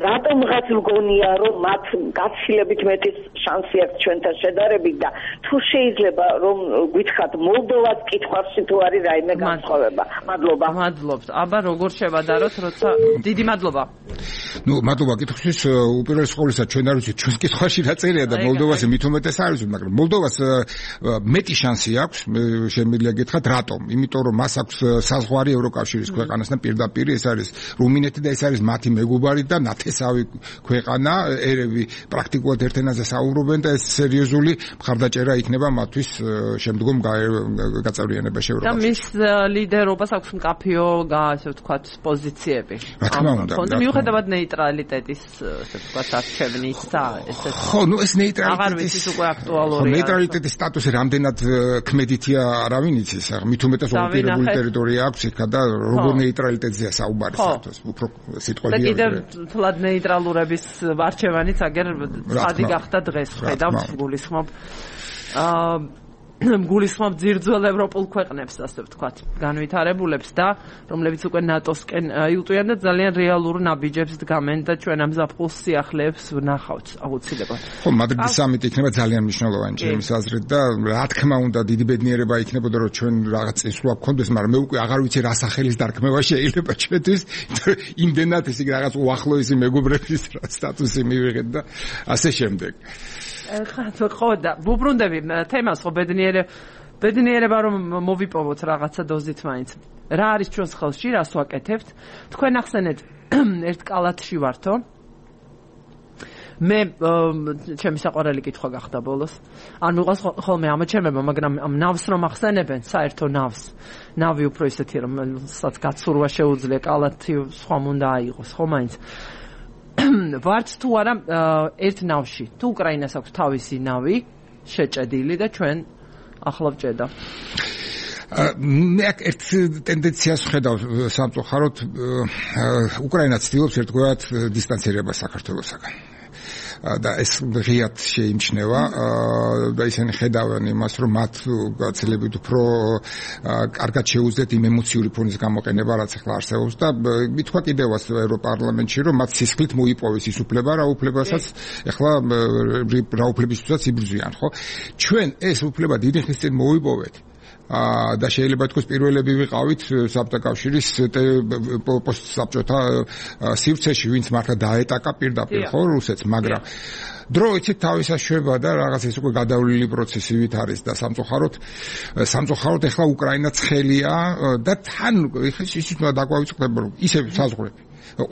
რატომღაც მგონია, რომ მათ გაცილებით მეტი შანსი აქვს ჩვენთან შედარებით და თუ შეიძლება რომ გითხრათ მოლდოვას კითხვაში თუ არის რაიმე განსხვავება. მადლობა. მადლობთ. აბა როგორ შევადაროთ, როცა დიდი მადლობა. მადლობა კითხვისთვის. უპირველეს ყოვლისა ჩვენ არ ვიცით ჩვენს კითხვაში რა წერია და მოლდოვას მით უმეტეს არ ვიცით, მაგრამ მოლდოვას მეტი შანსი აქვს, შემიძლია გითხრათ, რატომ? იმიტომ რომ მას აქვს საზღვარი ევროკავშირის ქვეყანასთან პირდაპირ, ეს არის რუმინეთი და ეს არის მათი მეგობარი და ნათესავი ქვეყანა, ერევი პრაქტიკულად ერთ ენაზე საუბრობენ და ეს სერიოზული მხარდაჭერა იქნება მათთვის შემდგომ გაწევრიანებაში ევროკავშირში. და მის ლიდერობას აქვს მკაფიო, ასე ვთქვათ, პოზიციები. რა თქმა უნდა. ხონდა მიუხედავად ნეიტრალიტეტის, ასე ვთქვათ, არჩევნისა, ესეც. ხო, ნუ ეს აღარ ვიცით უკვე აქტუალურია. ნეიტრალიტეტის სტატუსი რამდენად ქმედითია, არავინ იცის. მით უმეტეს ოკუპირებული ტერიტორია აქვს იქ და როგორ ნეიტრალიტეტზეა საუბარი საერთოდ. უფრო სიტყვები. და კიდევ თლად ნეიტრალურების არჩევანიც აგერ სადი გახდა დღეს, ხედავთ, გულისხმობ. გულისხმობ ძირძველ ევროპულ ქვეყნებს, ასე ვთქვათ, განვითარებულებს და რომლებიც უკვე ნატოსკენ იუტყვიან და ძალიან რეალურ ნაბიჯებს დგამენ და ჩვენ ამ ზაფხულს სიახლეებს ვნახავთ აუცილებლად. ხო, მადრიდის სამიტი იქნება ძალიან მნიშვნელოვანი ჩემს აზრით და რა თქმა უნდა დიდი ბედნიერება იქნებოდა რომ ჩვენ რაღაც წესრუა გქონდეს, მაგრამ მე უკვე აღარ ვიცი რა სახელის დარქმევა შეიძლება ჩვენთვის, იმდენად ისე რაღაც უახლოესი მეგობრების სტატუსი მივიღეთ და ასე შემდეგ. ხო და ვუბრუნდები თემას, ხო ბედნიერება რომ მოვიპოვოთ რაღაცა დოზით მაინც. რა არის ჩვენს ხელში, რას ვაკეთებთ? თქვენ ახსენეთ ერთ კალათში ვართო. მე ჩემი საყვარელი კითხვა გახდა ბოლოს. არ მიყვარს ხოლმე ამოჩემება, მაგრამ ამ ნავს რომ ახსენებენ, საერთო ნავს. ნავი უფრო ისეთი რომ სადაც გაცურვა შეუძლია, კალათი სხვა უნდა აიღოს, ხო მაინც. ვართ თუ არა ერთ ნავში. თუ უკრაინას აქვს თავისი ნავი შეჭედილი და ჩვენ ახლა ვჭედა. მე ერთ ტენდენციას ვხედავ სამწუხაროდ უკრაინა ცდილობს ერთგვარად დისტანცირებას საქართველოსაგან. და ეს ღიად შეიმჩნევა და ისინი ხედავენ იმას რომ მათ გაცილებით უფრო კარგად შეუძლიათ იმ ემოციური ფონის გამოყენება რაც ახლა არსებობს და მithვა კიდევაც ევროპარლამენტში რომ მათ სისხლით მოიპოვეს ის უფლება რა უფლებასაც ახლა რა უფლებისთვისაც იბრძვიან ხო ჩვენ ეს უფლება დიდი ხნის წინ მოიპოვეთ და შეიძლება თქოს პირველები ვიყავით საბჭოთა კავშირის პოსტსაბჭოთა სივრცეში ვინც მართლა დაეტაკა პირდაპირ ხო რუსეთს მაგრამ დრო იცით თავისას შვება და რაღაც ეს უკვე გადავლილი პროცესი ვით არის და სამწუხაროდ ახლა უკრაინა ცხელია და თან ისიც უნდა დაგვავიწყდება რომ ისე საზღვრები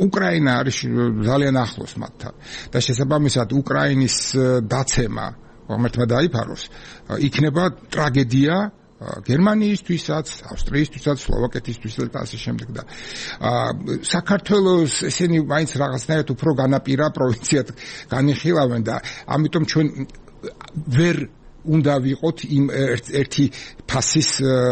უკრაინა არის ძალიან ახლოს მათთან და შესაბამისად უკრაინის დაცემა ღმერთმა დაიფაროს იქნება ტრაგედია გერმანიისთვისაც, ავსტრიისთვისაც, სლოვაკეთისთვისაც და ასე შემდეგ და საქართველოს ესენი მაინც რაღაცნაირად უფრო განაპირა პროვინციად განიხილავენ და ამიტომ ჩვენ ვერ უნდა ვიყოთ იმ ერთი ფასის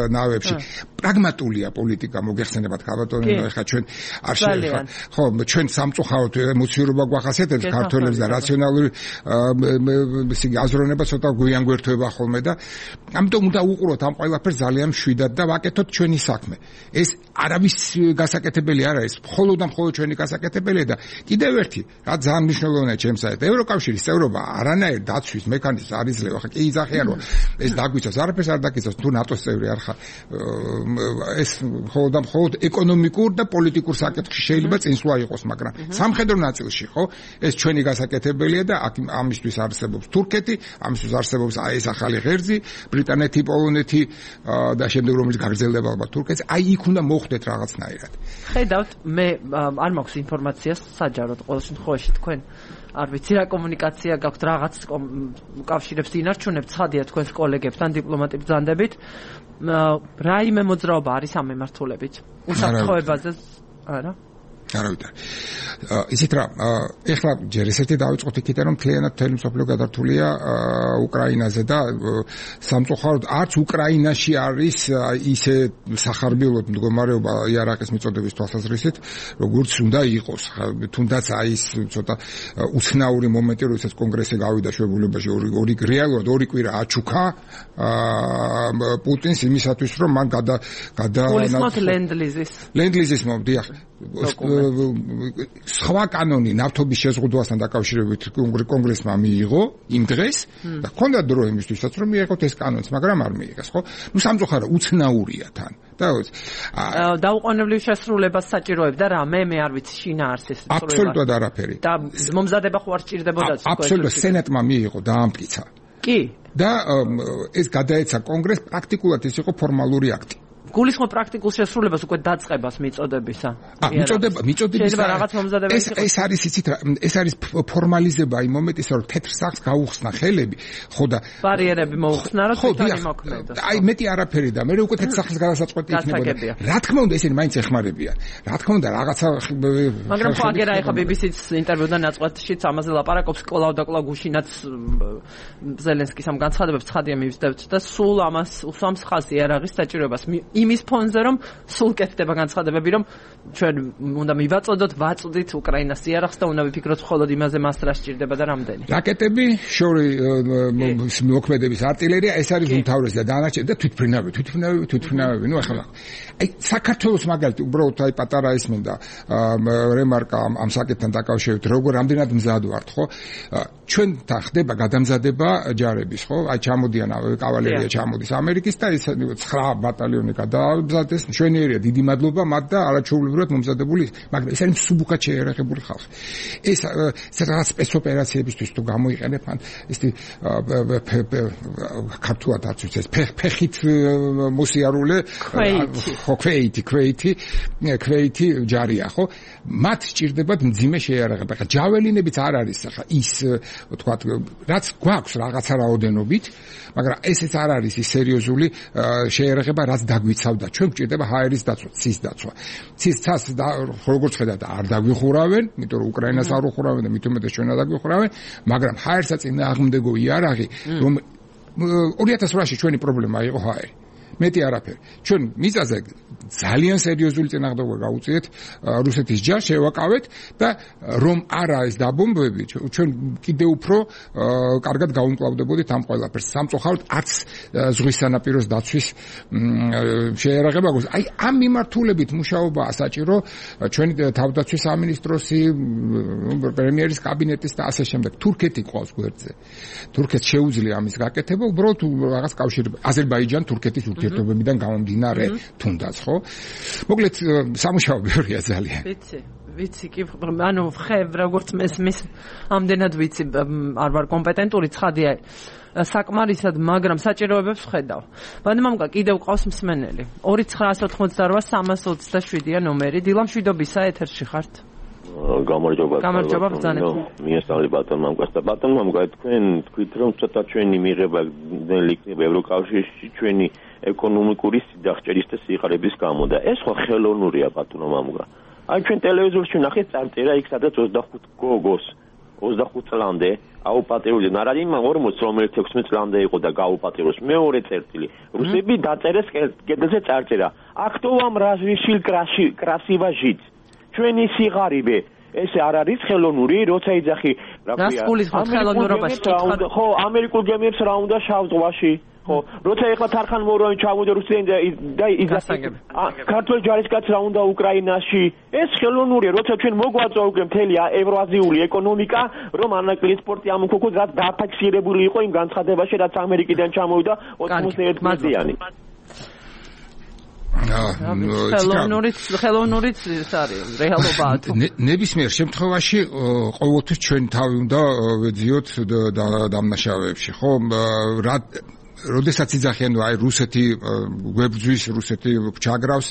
ნავებში. პრაგმატულია პოლიტიკა მოგეხსენებათ ქალბატონო, ეხლა ჩვენ არ შეიძლება ხო, ჩვენ სამწუხაროდ ემოციურობა გვახასიათებს ქართველებს და რაციონალური აზროვნება ცოტა გვიან გვერდება ხოლმე და ამიტომ უნდა უყუროთ ამ ყველაფერს ძალიან მშვიდად და ვაკეთოთ ჩვენი საქმე. ეს არავის გასაკეთებელი არ არის, მხოლოდ ჩვენი გასაკეთებელია და კიდევ ერთი, რა ძალიან მნიშვნელოვანია ჩემსაით, ევროკავშირის წევრობა არანაირ დაცვის მექანიზმს არ იძლევა, ხა კი იძახიან რომ ეს დაგვიცავს, არაფერს არ დაგიცავს, თუ ნატოს წევრი არ ხარ. ეს მხოლოდ ეკონომიკურ და პოლიტიკურ საკითხში შეიძლება წინსვლა იყოს, მაგრამ სამხედრო ნაწილში ხო ეს ჩვენი გასაკეთებელია და ამისთვის არსებობს თურქეთი, ამისთვის არსებობს ეს ახალი ღერძი, ბრიტანეთი, პოლონეთი და შემდეგ რომელიც გაგრძელდება ალბათ თურქეთს, აი იქ უნდა მოხდეთ რაღაცნაირად. ხედავთ, მე არ მაქვს ინფორმაციას საჯაროდ ყოველ შემთხვევაში თქვენ არ ვიცი რა კომუნიკაცია გაქვთ რაღაც უკავშირებს ინარჩუნებთ ცხადია თქვენს კოლეგებთან დიპლომატიურ ბრძანდებით რაიმე მოძრაობა არის ამ მემართულებით უსაფრთხოებაზე არა არავითარ ისეთ რა ეხლა ჯერ ესეთი დავიწყოთ იქიდან რომ მთლიანად მთელი მსოფლიო გადართულია უკრაინაზე და სამწუხაროდ არც უკრაინაში არის ისე სახარბილოდ მდგომარეობა იარაღის მიწოდების თვალსაზრისით როგორც უნდა იყოს თუნდაც აი ეს ცოტა უცნაური მომენტი როდესაც კონგრესი გავიდა შეებულებაში რეალურად ორი კვირა აჩუქა პუტინს იმისათვის რომ მან გულისხმობთ ლენდლიზის მომდიახ სხვა კანონი ნავთობის შეზღუდვასთან დაკავშირებით კონგრესმა მიიღო იმ დღეს და ჰქონდა დრო იმისთვისაც რომ მიიღოთ ეს კანონიც, მაგრამ არ მიიღეს, ხო? ნუ სამწუხაროდ უცნაურია თან. დაუყოვნებლივ შესრულებას საჭიროებდა რა მე არ ვიცი შინაარსის აბსოლუტურად არაფერი. და მომზადება ხო არ სჭირდებოდა აბსოლუტურად სენატმა მიიღო დაამტკიცა. კი. და ეს გადაეცა კონგრესს პრაქტიკულად ის იყო ფორმალური აქტი. გულისხმობ პრაქტიკულ შესრულებას უკვე დაწყებას მიწოდებისა. მიწოდების ეს არის იცით რა, ეს არის ფორმალიზება იმ მომენტისა, რომ თეთრ სახლს გაუხსნა ხელები, ხო და ბარიერები მოუხსნა, რომ თვითონ იმოქმედოს. აი მეტი არაფერი და მე უკვე თეთრ სახლის გადასაწყვეტი იქნებოდა. რა თქმა უნდა, ესენი მაინც ეხმარებიან. რა თქმა უნდა, რაღაცა მაგრამ ხო აგერა ეხა BBC-ს ინტერვიუდან ნაწყვეტშიც ამაზე ლაპარაკობს კლავ და კლავ გუშინაც ზელენსკის ამ განცხადებებს ცხადია მივსდევთ და სულ ამას უსვამს ხაზი იარაღის საჭიროებას იმის ფონზე რომ სულ კეთდება განცხადებები რომ ჩვენ უნდა მივაწოდოთ ვაწვდით უკრაინას იარაღს და უნდა ვიფიქროთ მხოლოდ იმაზე მას რა სჭირდება და რამდენი რაკეტები შორი მოქმედების არტილერია ეს არის უმთავრესი და დანარჩენი და თვითმფრინავები ნუ ახლა აი საქართველოს მაგალითი უბრალოდ აი პატარა ისმენდა რემარკა ამ საკითხთან დაკავშირებით როგორ რამდენად მზად ვართ ხო ჩვენ ხდება გადამზადება ჯარების ხო აი ჩამოდიან კავალერია ჩამოდის ამერიკის და ეს 9 ბატალიონი გადაამზადეს მშვენიერია დიდი მადლობა მათ და არაჩვეულებრივად მომზადებული მაგრამ ეს არის მსუბუქად შეერაღებული ხალხი ეს რაღაც სპეცოპერაციებისთვის თუ გამოიყენებ ან ესეთი ქართულად არც ვიცი ეს ფეხით მოსიარულე ხო ქვეითი ჯარია ხო მათ სჭირდებათ მძიმე შეიარაღება ხა ჯაველინებიც არ არის ხა ის ვთქვათ რაც გვაქვს რაღაცა რაოდენობით მაგრამ ესეც არ არის ის სერიოზული შეიარაღება რაც დაგვიცავდა ჩვენ გვჭირდება ჰაერის დაცვა ცის დაცვა ცის ცას როგორც ხედავთ არ დაგვიხურავენ იმიტომ რომ უკრაინას არ უხურავენ და მით უმეტეს ჩვენ არ დაგვიხურავენ მაგრამ ჰაერსა წინააღმდეგო იარაღი რომ 2008-ში ჩვენი პრობლემა იყო ჰაერი მეტი არაფერი. ჩვენ მიწაზე ძალიან სერიოზული წინააღმდეგობა გაუწიეთ რუსეთის ჯარს შევაკავეთ და რომ არა ეს დაბომბები ჩვენ კიდე უფრო კარგად გაუმკლავდებოდით ამ ყველაფერს. სამწუხაროდ არც ზღვის სანაპიროს დაცვის შეერაღება გვაქვს. აი ამ მიმართულებით მუშაობაა საჭირო ჩვენი თავდაცვის სამინისტროსი, პრემიერის კაბინეტის და ასე შემდეგ. თურქეთი ყავს გვერდზე. თურქეთს შეუძლია ამის გაკეთება, უბრალოდ რაღაც კავშირი აზერბაიჯან თურქეთის ურთიერთობებიდან გამომდინარე თუნდაც ხო? მოკლედ სამუშაო ბევრია ძალიან. ვიცი კი ანუ ხევ როგორც მესმის ამდენად ვიცი არ ვარ კომპეტენტური ცხადია საკმარისად მაგრამ საჭიროებებს ხედავ. მადმამკა კიდევ ყავს მსმენელი 2988327-ია ნომერი დილამშვიდობისა ეთერში ხართ. გამარჯობა ბრძანებთ. მიესალმებით ბატონ მამკას და ბატონ მამკა თქვენ თქვით რომ ცოტა ჩვენი მიღება ძნელი იქნება ევროკავშირში ჩვენი ეკონომიკური სიდახჭერის და სიღარიბის გამო და ეს ხო ხელოვნურია ბატონო მამკა. აი ჩვენ ტელევიზორში ნახეთ წარწერა იქ სადაც 25 გოგოს 25 წლამდე აუპატიურებდნენ არ არის 40 რომელიც 16 წლამდე იყო და გაუპატიუროს მეორე წერტილი რუსები დაწერეს კედელზე წარწერა აქტო вам разрешил красиво жить ჩვენი სიღარიბე ესე არ არის ხელოვნური როცა იძახი რა ქვია ხო ამერიკულ გემებს რა უნდა შავ ზღვაში ხო როცა ეხლა თარხან მორონი ჩამოვიდა რუსეთიდან და იძახი ქართული ჯარისკაც რა უნდა უკრაინაში ეს ხელოვნურია როცა ჩვენ მოგვაწვა უკვე მთელი ევრაზიული ეკონომიკა რომ ანაკლიის სპორტი ამოქოქოს რაც დაფიქსირებული იყო იმ განცხადებაში რაც ამერიკიდან ჩამოვიდა 91 წლიანი ხელოვნურიც ის არის რეალობაა თუ ნებისმიერ შემთხვევაში ყოველთვის ჩვენ თავი უნდა ვეძიოთ დამნაშავეებში ხო რა როდესაც იძახიან აი რუსეთი გვებძვის რუსეთი გჩაგრავს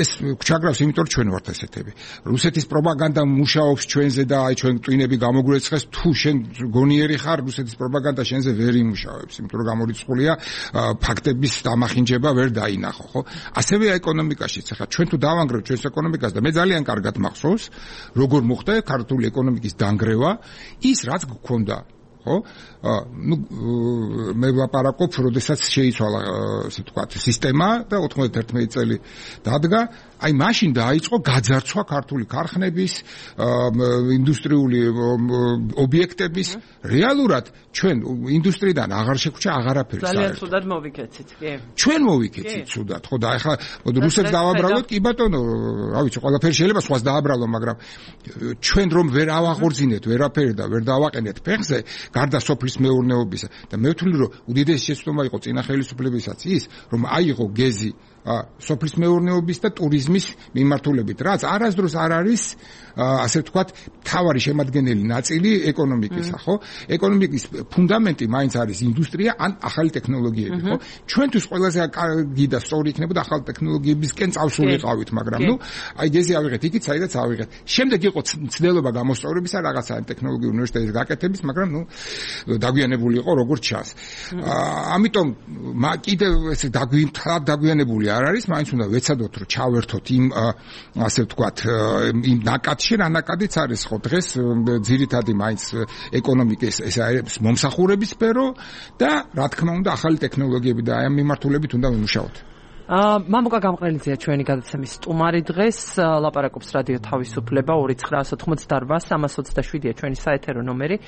ეს გჩაგრავს იმიტომ რომ ჩვენ ვართ ესეთები რუსეთის პროპაგანდა მუშაობს ჩვენზე და აი ჩვენ ტვინები გამოგვეცხეს თუ შენ გონიერი ხარ რუსეთის პროპაგანდა შენზე ვერ იმუშავებს იმიტომ რომ გამორიცხულია ფაქტების დამახინჯება ვერ დაინახო ხო ასევე ეკონომიკაშიც ახლა ჩვენ თუ დავანგრევთ ჩვენს ეკონომიკას და მე ძალიან კარგად მახსოვს როგორ მოხდა ქართული ეკონომიკის დანგრევა ის რაც გქონდა ხო ну მე ვაპარაკობ როდესაც შეიცვალა ასე ვთქვათ სისტემა და 91 წელი დადგა აი მაშინ დაიწყო გაძარცვა ქართული ქარხნების ინდუსტრიული ობიექტების რეალურად ჩვენ ინდუსტრიიდან აღარ შეგვჭა აღარაფერი ძალიან ცუდად მოვიქეცით კი ჩვენ მოვიქეცით ცუდად ხო და ახლა რუსებს დავაბრალოთ კი ბატონო რა ვიცი ყველაფერი შეიძლება სხვას დააბრალო მაგრამ ჩვენ რომ ვერ ავაღორძინეთ ვერაფერი და ვერ დავაყენეთ ფეხზე გარდა სოფლის მეურნეობისა და მე ვთვლი რომ უდიდესი შეცდომა იყო წინა ხელისუფლებისაც ის რომ აიღო გეზი სოფლის მეურნეობის და ტურიზმის თითქმის მიმართულებით, რაც არასდროს არ არის ასე ვთქვათ, თავარი შემადგენელი ნაწილი ეკონომიკისა, ხო? ეკონომიკის ფუნდამენტი მაინც არის ინდუსტრია ან ახალი ტექნოლოგიები, ხო? ჩვენთვის ყველაზე კარგი და სწორი იქნებოდა ახალი ტექნოლოგიებისკენ წავსულიყავით, მაგრამ ნუ აი ესე ავიღეთ იქით, საიდანაც ავიღეთ. შემდეგ იყო ცდელობა გამოსწორებისა რაღაცა ტექნოლოგიური უნივერსიტეტის გაკეთების, მაგრამ ნუ დაგვიანებული იყო როგორც ჩანს. ამიტომ კიდევ ესე დაგვიანებული არ არის, მაინც უნდა ვეცადოთ რომ ჩავერთოთ იმ ასე ვთქვათ, იმ ნაკადში რა ნაკადიც არის ხო დღეს ძირითადი მაინც ეკონომიკის ეს არის მომსახურების სფერო და რა თქმა უნდა ახალი ტექნოლოგიები და აი ამ მიმართულებით უნდა ვიმუშაოთ. მამუკა გამყრელიძეა ჩვენი გადაცემის სტუმარი დღეს, ლაპარაკობს რადიო თავისუფლება 2988-327-ია ჩვენი საეთერო ნომერი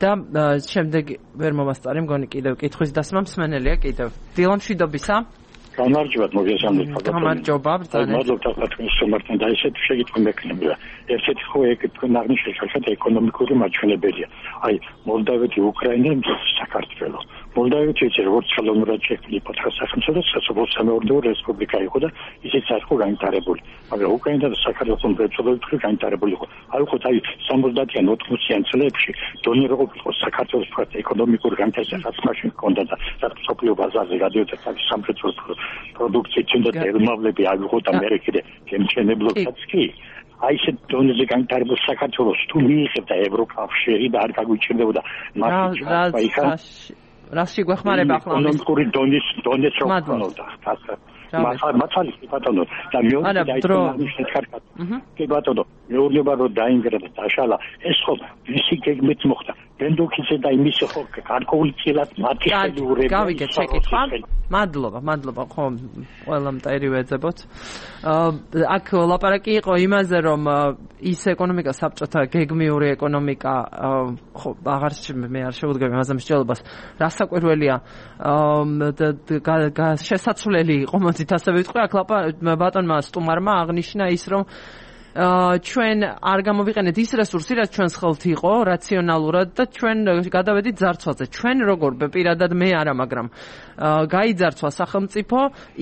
და შემდეგ ვერ მომასწარი მგონი კიდევ კითხვის დასმა მსმენელია კიდევ. დილა მშვიდობისა. გამარჯობათ, მოგესალმებით. გამარჯობა, ბრძანეთ. მადლობა თქვენ სტუმართან და ესეთი შეგიტყვი მექნებია. ერთ-ერთი ხო თქვენ აღნიშნეთ ეკონომიკური მაჩვენებელია. აი, მოლდავეთი, უკრაინა, საქართველო. მოლდავეთი ეს როგორც ხელოვნურად შექმნილი სახელმწიფო სასოფლო-სამეურნეო რესპუბლიკა იყო და ისიც არ იყო განვითარებული. მაგრამ უკრაინა და საქართველოს მრეწველობა განვითარებული იყო. აი ხო, აი 70-იან 80-იან წლებში დონე როგორ იყო საქართველოს თქვა ეკონომიკური განვითარებას მაშინ ჰქონდა და სოფლიო ბაზარზე გადიოდა სამრეწველო პროდუქცია ჩნდა დელმავლები აიღო და მე კიდე გემჩენებლობაც კი აი ეს დონეზე განვითარებულ საქართველოს თუ მიიღებდა ევროკავშირი და არ გაგვიჭირდებოდა მაშინ რაში გვეხმარება ახლა ეკონომიკური დონეს რო ქონოდა მართალი ბატონო და მეორე დაიწყო კარგად კი ბატონო მეურნეობა რო დაინგრა და დაშალა ეს ხო ვისი გეგმით მოხდა ბენდუქიძე და იმის ხო გარკვეული წილად მათი ხელურები გავიგეთ შეკითხვა მადლობა ხო ყველა მტერი ვეძებოთ აქ ლაპარაკი იყო იმაზე რომ ის ეკონომიკა საბჭოთა გეგმიური ეკონომიკა ხო აღარ მე არ შევუდგები ამაზე მსჯელობას რასაკვირველია შესაძლებელი იყო მოდით ასე ვიტყვი აქ ბატონმა სტუმარმა აღნიშნა ის რომ ჩვენ არ გამოვიყენეთ ის რესურსი, რაც ჩვენს ხელთ იყო, რაციონალურად და ჩვენ გადავედით ძარცვაზე. ჩვენ როგორ პირადად მე არა, მაგრამ გაიძარცვა სახელმწიფო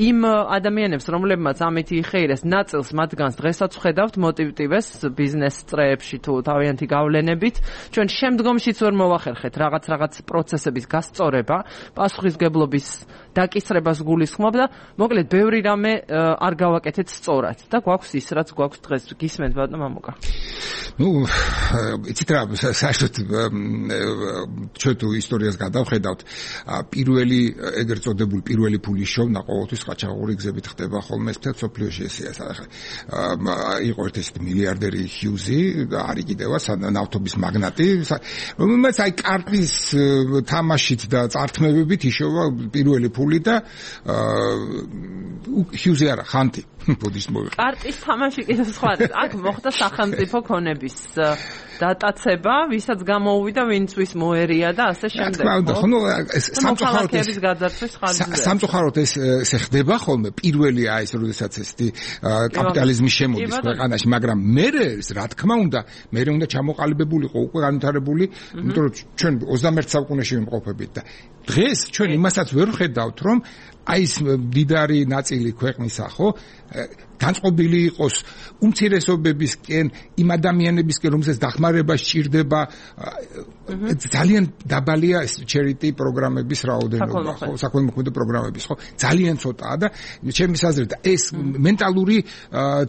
იმ ადამიანებს, რომლებმაც ამით იხეირეს ნაწილს მათგანს დღესაც ვხედავთ მოტივტივეს ბიზნეს წრეებში თუ თავიანთი გავლენებით. ჩვენ შემდგომშიც ვერ მოვახერხეთ რაღაც პროცესების გასწორება, პასუხისგებლობის დაკისრებას გულისხმობ და მოკლედ ბევრი რამე არ გავაკეთეთ სწორად და გვაქვს ის, რაც გვაქვს დღეს. გისმენთ ბატონო მამუკა. ნუ იცით რა საერთოდ ჩვენ თუ ისტორიას გადავხედავთ პირველი ეგრეთ წოდებული პირველი ფულის შოვნა ყოველთვის ყაჩაღური გზებით ხდება ხოლმე მთელ სოფლიოში ესეა ახლა იყო ერთ-ერთი მილიარდერი ჰიუზი და არის კიდევაც ნავთობის მაგნატი რომელმაც აი კარტის თამაშით და წართმევებით იშოვა პირველი ფული და ჰიუზი არა ხანტი ბოდიშ მოვიხ კარტის თამაში კიდევ სხვა აქ მოხდა სახელმწიფო ქონების დატაცება, ვისაც გამოუვიდა, ვინც ვის მოერია და ასე შემდეგ. ხო, სამწუხაროდ ეს ხდება ხოლმე პირველი აი ეს როდესაც ეს კაპიტალიზმი შემოდის ქვეყანაში, მაგრამ მე რა თქმა უნდა, მე უნდა ჩამოყალიბებულიყო უკვე განვითარებული, იმიტომ რომ ჩვენ 21 საუკუნეში ვიმყოფებით და დღეს ჩვენ იმასაც ვერ ვხედავთ, რომ აი ეს დიდარი ნაწილი ქვეყნისა ხო განწყობილი იყოს უმცირესობებისკენ, იმ ადამიანებისკენ, რომელსაც დახმარება სჭირდება, ძალიან დაბალია ეს charity პროგრამების რაოდენობა, ხო, საქველმოქმედო პროგრამების, ხო, ძალიან ცოტაა და ჩემი აზრით ეს მენტალური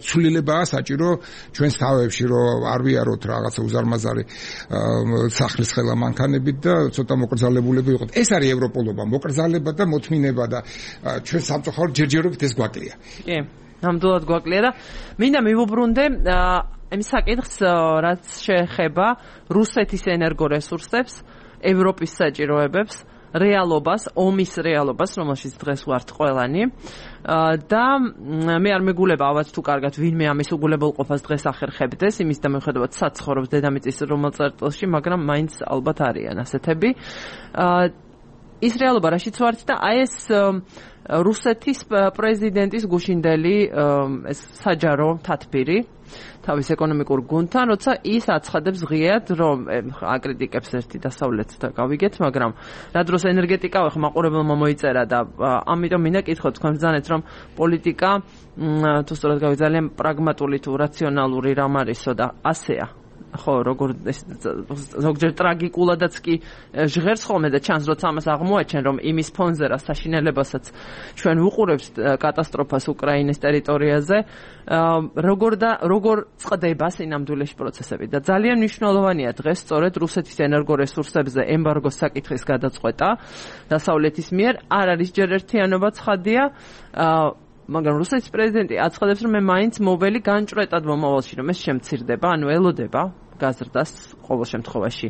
ცვლილებაა საჭირო ჩვენს თავებში, რომ არ ვიაროთ რაღაცა უზარმაზარი სახლის ხელა მანქანებით და ცოტა მოკრძალებულები ვიყოთ. ეს არის ევროპულობა, მოკრძალება და მოთმინება და ჩვენ სამწუხაროდ ჯერჯერობით ეს გვაკლია. კი. ნამდვილად გვაკლია და მინდა მივუბრუნდე იმ საკითხს, რაც შეეხება რუსეთის ენერგორესურსებს, ევროპის საჭიროებებს, რეალობას, ომის რეალობას, რომელშიც დღეს ვართ ყველანი. და მე არ მეგულება ალბათ თუ კარგად ვინმე ამის უგულებელყოფას დღეს ახერხებდეს, იმის და მიუხედავად საცხოვრობს დედამიწის რომელ წერტილში, მაგრამ მაინც ალბათ არიან ასეთები. ის რეალობა რაშიც ვართ და აი ეს რუსეთის პრეზიდენტის გუშინდელი ეს საჯარო თათბირი თავის ეკონომიკურ გუნდთან, როცა ის აცხადებს ღიად, რომ აკრიტიკებს ერთი დასავლეთს და გავიგეთ, მაგრამ რა დროს ენერგეტიკა ხო მაყურებელმა მოიწერა და ამიტომ მინდა კითხოთ თქვენ ბრძანეთ, რომ პოლიტიკა თუ სწორად გავიგე ძალიან პრაგმატული თუ რაციონალური რამ არისო და ასეა. ხო, როგორ ზოგჯერ ტრაგიკულადაც კი ჟღერს ხოლმე და ჩანს, როცა ამას აღმოაჩენ, რომ იმის ფონზე რა საშინელებასაც ჩვენ ვუყურებთ კატასტროფას უკრაინის ტერიტორიაზე, როგორ წყდება სინამდვილეში პროცესები და ძალიან მნიშვნელოვანია დღეს სწორედ რუსეთის ენერგორესურსებზე ემბარგოს საკითხის გადაწყვეტა დასავლეთის მიერ. არ არის ჯერ ერთიანობა ცხადია, მაგრამ რუსეთის პრეზიდენტი აცხადებს, რომ მე მაინც მოველი განჭრეტად მომავალში, რომ ეს შემცირდება, ანუ ელოდება გაზრდას ყოველ შემთხვევაში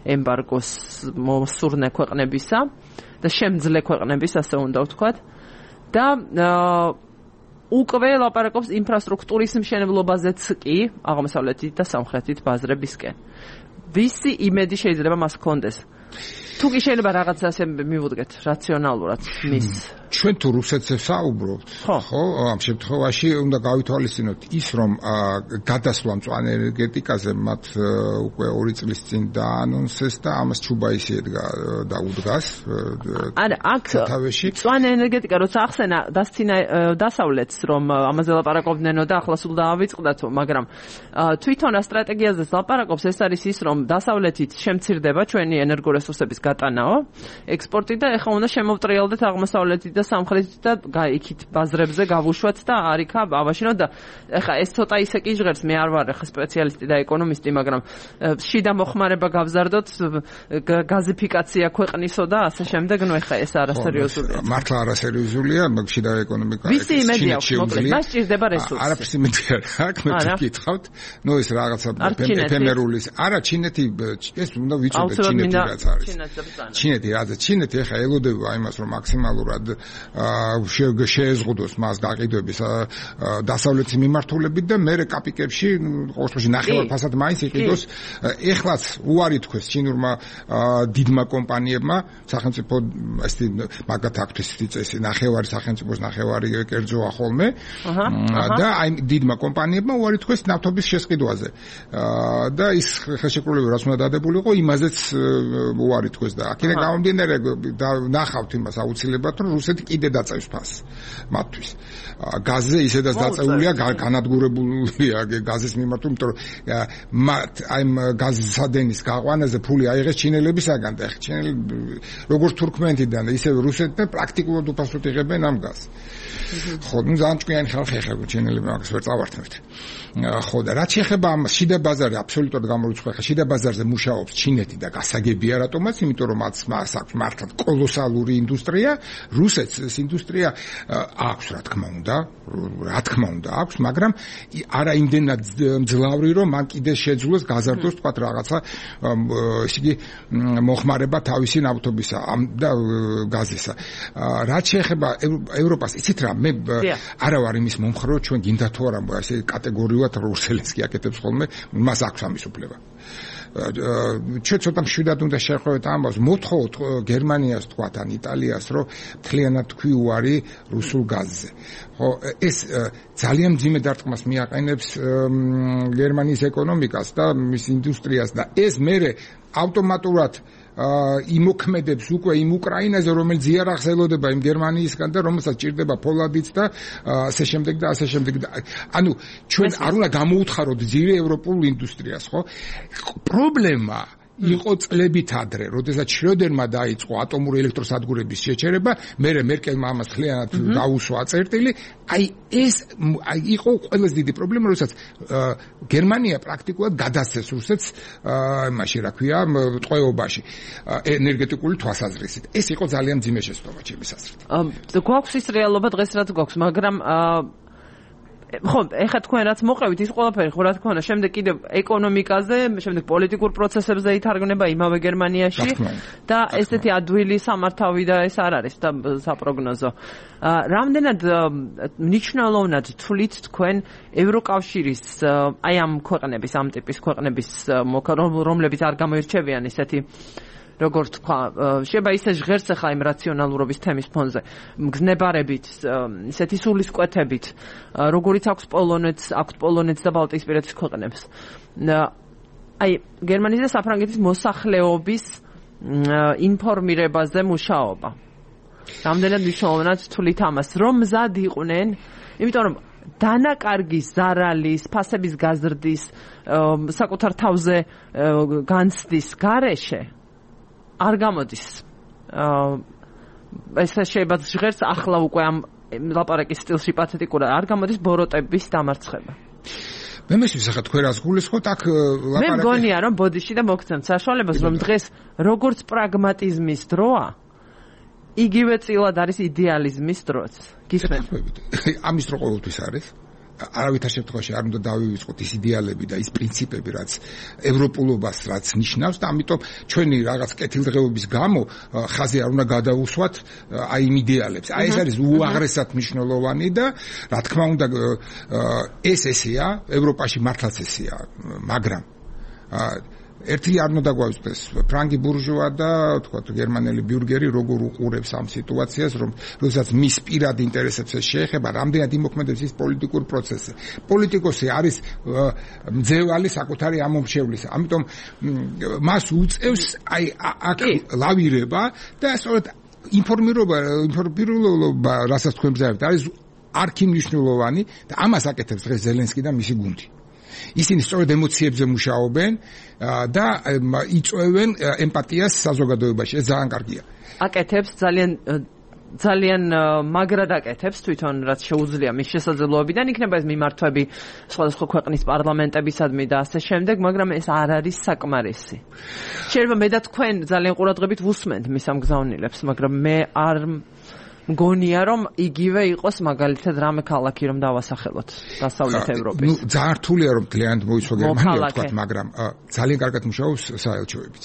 ემბარგოს მოსურნე ქვეყნებისა და შემძლე ქვეყნების, ასე უნდა ვთქვათ. და უკვე ლაპარაკობს ინფრასტრუქტურის მშენებლობაზეც კი აღმოსავლეთით და სამხრეთით ბაზრებისკენ. ვისი იმედი შეიძლება მას ჰქონდეს? თუ კი შეიძლება რაღაცა ასე მივუდგეთ რაციონალურად მის ჩვენ თუ რუსეთზე საუბრობთ, ხო, ამ შემთხვევაში უნდა გავითვალისწინოთ ის, რომ გადასვლა მწვანე ენერგეტიკაზე მათ უკვე 2 წლის წინ დაანონსეს და ამას ჩუბაისი დაუდგას. არა, აქ მწვანე ენერგეტიკა როცა ახსენა დასცინა დასავლეთს, რომ ამაზე ლაპარაკობდნენ და ახლა სულ დაავიწყდათო, მაგრამ თვითონ სტრატეგიაზე ლაპარაკობს, ეს არის ის, რომ დასავლეთით შემცირდება ჩვენი ენერგორესურსების გატანაო, ექსპორტი და ეხლა უნდა შემოვტრიალდეთ აღმოსავლეთით და სამხრეთით და იქით ბაზრებზე გავუშვათ და არიქა ავაშინოთ და ეხლა ეს ცოტა ისე კი ჟღერს, მე არ ვარ ეხლა სპეციალისტი და ეკონომისტი, მაგრამ შიდა მოხმარება გავზარდოთ, გაზიფიკაცია ქვეყნისო და ასე შემდეგ, ნუ ეხლა ეს არასერიოზულია. მართლა არასერიოზულია, მაგრამ შიდა ეკონომიკა ვისი იმედი აქვს, მოკლედ, მას ჭირდება რესურსი. არაფრის იმედი არ აქვს, მე გითხავთ, ნუ ეს რაღაცა ეფემერული, არა ჩინეთი, ეს უნდა ვიცოდეთ ჩინეთი რაც არის. ჩინეთი ეხლა ელოდება იმას, რომ მაქსიმალურად შეეზღუდოს მას გაყიდვების დასავლეთის მიმართულებით და მერე კაპიკებში ყოველ შემთხვევაში ნახევარფასად მაინც იყიდოს. ეხლაც უარი თქვეს ჩინურმა დიდმა კომპანიებმა, სახელმწიფო ესეთი მაგათ აქვს წესი, ნახევარი სახელმწიფოს ნახევარი კერძოა ხოლმე და აი დიდმა კომპანიებმა უარი თქვეს ნავთობის შესყიდვაზე. და ის ხელშეკრულება რაც უნდა დადებულიყო, იმაზეც უარი თქვეს და აქედან გამომდინარე ნახავთ იმას აუცილებლად, რომ რუსეთი კიდე დაწევს ფასს მათთვის. გაზზე ისედაც დაწეულია, განადგურებულია გაზის მიმართ, იმიტომ რომ აი გაზის სადენის გაყვანაზე ფული აიღეს ჩინელებისაგან და ჩინელი როგორც თურქმენეთიდან, ისე რუსეთიდან პრაქტიკულად უფასოდ იღებენ ამ გაზს. ხო, ნუ ძალიან ჭკვიანი ხალხი ხარ ჩინელები მაგას ვერ წავართმევთ. ხო და რაც შეეხება ამ შიდა ბაზარზე აბსოლუტურად გამორიცხვა, შიდა ბაზარზე მუშაობს ჩინეთი და გასაგებია რატომაც, იმიტომ რომ მას აქვს მართლაც კოლოსალური ინდუსტრია, რუსეთს ეს ინდუსტრია აქვს რა თქმა უნდა აქვს, მაგრამ არა იმდენად მძლავრი, რომ მან კიდე შეძლოს გაზარდოს თქვა რაღაცა ესე იგი მოხმარება თავისი ნავთობისა და გაზისა. რაც შეეხება ევროპას, იცით რა, მე არა ვარ იმის მომხრე, რომ ჩვენ გინდა თუ არა ესე კატეგორიულად რუსელს კი აკეთებს ხოლმე, მას აქვს ამის უფლება. ჩვენ ცოტა მშვიდად უნდა შევხვდეთ ამბავს, მოთხოვოთ გერმანიას თქვათ ან იტალიას, რომ მთლიანად თქვი უარი რუსულ გაზზე. ხო, ეს ძალიან მძიმე დარტყმას მიაყენებს გერმანიის ეკონომიკას და მის ინდუსტრიას და ეს მერე ავტომატურად იმოქმედებს უკვე იმ უკრაინაზე, რომელიც ზიარახს ელოდება იმ გერმანიისგან და რომელსაც ჭირდება ფოლადიც და ასე შემდეგ და ასე შემდეგ. ანუ ჩვენ არ უნდა გამოუთხაროთ ძირი ევროპულ ინდუსტრიას, ხო? პრობლემა იყო წლებით ადრე, როდესაც შროდერმა დაიწყო ატომური ელექტროსადგურების შეჩერება, მერე მერკელმა ამას ხლიანად გაუსვა წერტილი. აი ეს იყო ყველაზე დიდი პრობლემა, როდესაც გერმანია პრაქტიკულად გადასცეს რუსეთს იმაში, რა ქვია, ტყვეობაში ენერგეტიკული თვალსაზრისით. ეს იყო ძალიან მძიმე შეცდომა ჩემის აზრით. გვაქვს ის რეალობა დღეს რაც გვაქვს, მაგრამ ხო, ეხლა თქვენ რაც მოყევით ის ყველაფერი, ხო რა თქმა უნდა, შემდეგ კიდევ ეკონომიკაზე, შემდეგ პოლიტიკურ პროცესებზე ითარგმნება იმავე გერმანიაში და ესეთი ადვილი სამართავი და ეს არ არის და საპროგნოზო. რამდენად მნიშვნელოვნად თვლით თქვენ ევროკავშირის აი ამ ქვეყნების, ამ ტიპის ქვეყნების, რომლებიც არ გამოირჩევიან ისეთი როგორც თქვა, შეიძლება ისე ჟღერს ახლა იმ რაციონალურობის თემის ფონზე, მგზნებარებით, ისეთი სულისკვეთებით, როგორიც აქვს პოლონეთს და ბალტიისპირეთის ქვეყნებს. აი, გერმანიის და საფრანგეთის მოსახლეობის ინფორმირებაზე მუშაობა. რამდენად მნიშვნელოვნად თვლით ამას, რომ მზად იყვნენ, იმიტომ რომ დანაკარგის, ზარალის, ფასების გაზრდის, საკუთარ თავზე განცდის გარეშე არ გამოდის. ეს შეიძლება ჟღერს ახლა უკვე ამ ლაპარაკის სტილში პათეტიკურად არ გამოდის ბოროტების დამარცხება. მე მესმის ახლა თქვენ რას გულისხმობთ აქ ლაპარაკი. მე მგონია რომ ბოდიში და მოგცემთ საშუალებას რომ დღეს როგორც პრაგმატიზმის დროა იგივე წილად არის იდეალიზმის დროც. გისმენთ? ამის დრო ყოველთვის არის. არავითარ შემთხვევაში არ უნდა დავივიწყოთ ის იდეალები და ის პრინციპები, რაც ევროპულობას რაც ნიშნავს და ამიტომ ჩვენი რაღაც კეთილდღეობის გამო ხაზი არ უნდა გადაუსვათ აი იმ იდეალებს. აი ეს არის უაღრესად მნიშვნელოვანი და რა თქმა უნდა ეს ესეა, ევროპაში მართლაც ესეა, მაგრამ ერთი არ უნდა გვაუწყდეს ფრანგი ბურჟუა და თქვა გერმანელი ბიურგერი როგორ უყურებს ამ სიტუაციას, როდესაც მის პირად ინტერესებს შეეხება, რამდენად იმოქმედებს ის პოლიტიკურ პროცესზე. პოლიტიკოსი არის მძევალი საკუთარი ამომრჩევლისა. ამიტომ მას უწევს აი აქ ლავირება და სწორედ ინფორმირება, რასაც თქვენ ბრძანებთ, არის არქიმნიშვნელოვანი და ამას აკეთებს დღეს ზელენსკი და მისი გუნდი. ისინი სწორედ ემოციებზე მუშაობენ და იწვევენ ემპათიას საზოგადოებაში. ეს ძალიან კარგია. აკეთებს ძალიან მაგრად აკეთებს თვითონ რაც შეუძლია მის შესაძლებლობიდან იქნება ეს მიმართვები სხვადასხვა ქვეყნის პარლამენტებისადმი და ასე შემდეგ, მაგრამ ეს არ არის საკმარისი. შეიძლება მე და თქვენ ძალიან ყურადღებით ვუსმენთ მის ამ გზავნილებს, მაგრამ მე არ მგონია რომ იგივე იყოს მაგალითად რამე ქალაქი რომ დავასახელოთ დასავლეთ ევროპის. ძალიან რთულია რომ ძალიან მოიცვა გერმანია თქვა, მაგრამ ძალიან კარგად მუშაობს საელჩოებიც.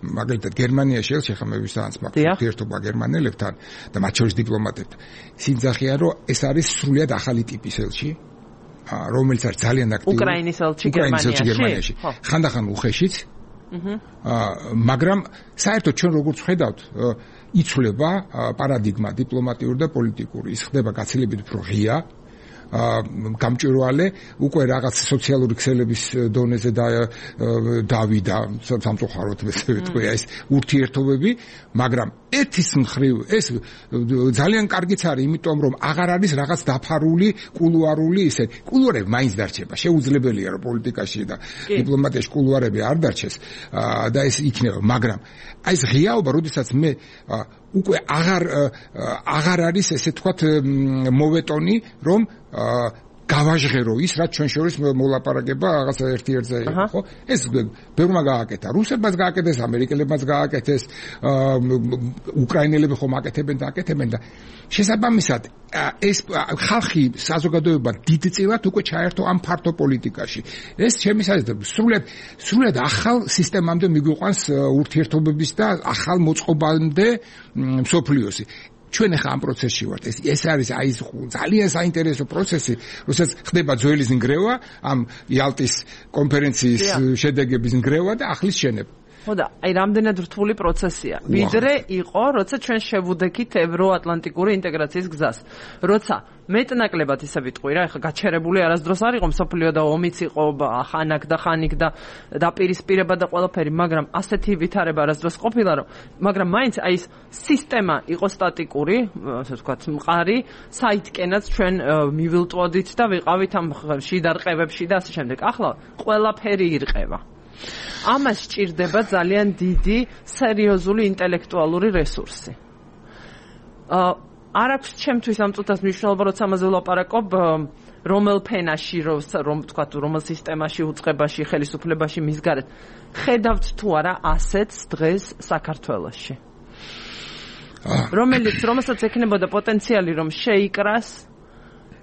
მაგალითად გერმანიაში ელჩი მე ვისაანს მაქვს ურთიერთობა გერმანელებთან და მათ შორის დიპლომატებთან. სინძახია რომ ეს არის სრულიად ახალი ტიპის ელჩი, რომელიც არის ძალიან აქტიური. უკრაინის ელჩი გერმანიაში. ხანდახან უხეშიც. მაგრამ საერთოდ ჩვენ როგორც ხედავთ იცვლება პარადიგმა დიპლომატიური და პოლიტიკური. ის ხდება გაცილებით უფრო ღია, გამჭვირვალე, უკვე რაღაც სოციალური ქსელების დონეზე დავიდა სამწუხაროდ თქვია ეს ურთიერთობები, მაგრამ ერთის მხრივ ეს ძალიან კარგიც არის, იმიტომ რომ აღარ არის რაღაც დაფარული კულუარული ისე. კულუარები მაინც დარჩება. შეუძლებელია რომ პოლიტიკაში და დიპლომატიაში კულუარები არ დარჩეს და ეს იქნება, მაგრამ აი ეს ღიაობა, როდესაც მე უკვე აღარ არის ესე თქვათ მოვეტონი რომ გავაჟღერო ის რაც ჩვენ შორის მოლაპარაკება რაღაც ერთ-ერთზე იყო, ხო? ეს ბევრმა გააკეთა, რუსებმაც გააკეთეს, ამერიკელებმაც გააკეთეს, უკრაინელები ხომ აკეთებენ და აკეთებენ და შესაბამისად ეს ხალხი საზოგადოება დიდწილად უკვე ჩაერთო ამ ფართო პოლიტიკაში. ეს ჩემი საზრდოებით სრულიად ახალ სისტემამდე მიგვიყვანს ურთიერთობების და ახალ მოწყობამდე მსოფლიოსი. ჩვენ ახლა ამ პროცესში ვართ. ეს არის აი ძალიან საინტერესო პროცესი, როდესაც ხდება ძველის ნგრევა, ამ იალტის კონფერენციის შედეგების ნგრევა და ახლის შენება. ხო და აი რამდენად რთული პროცესია. ვიდრე იყო, როცა ჩვენ შევუდექით ევროატლანტიკური ინტეგრაციის გზას. როცა მეტნაკლებად ისე ვიტყვი რა, ეხლა გაჩერებული არასდროს არ იყო მსოფლიო და ომიც იყო ხანაკ და ხანიკ და დაპირისპირება და ყველაფერი, მაგრამ ასეთი ვითარება არასდროს ყოფილა, რომ მაგრამ მაინც აი ეს სისტემა იყო სტატიკური, ასე ვთქვათ, მყარი, საითკენაც ჩვენ მივილტვოდით და ვიყავით ამ შიდარყევებში და ასე შემდეგ. ახლა ყველაფერი ირყევა. ამას სჭირდება ძალიან დიდი სერიოზული ინტელექტუალური რესურსი. არ აქვს ჩემთვის ამ წუთას მნიშვნელობა, როცა ამაზე ვლაპარაკობ, რომელ ფენაში, რომ თქვა, რომელ სისტემაში, უწყებაში, ხელისუფლებაში მისგარეთ. ხედავთ თუ არა ასეთს დღეს საქართველოში. რომელსაც ექნებოდა პოტენციალი რომ შეიკრას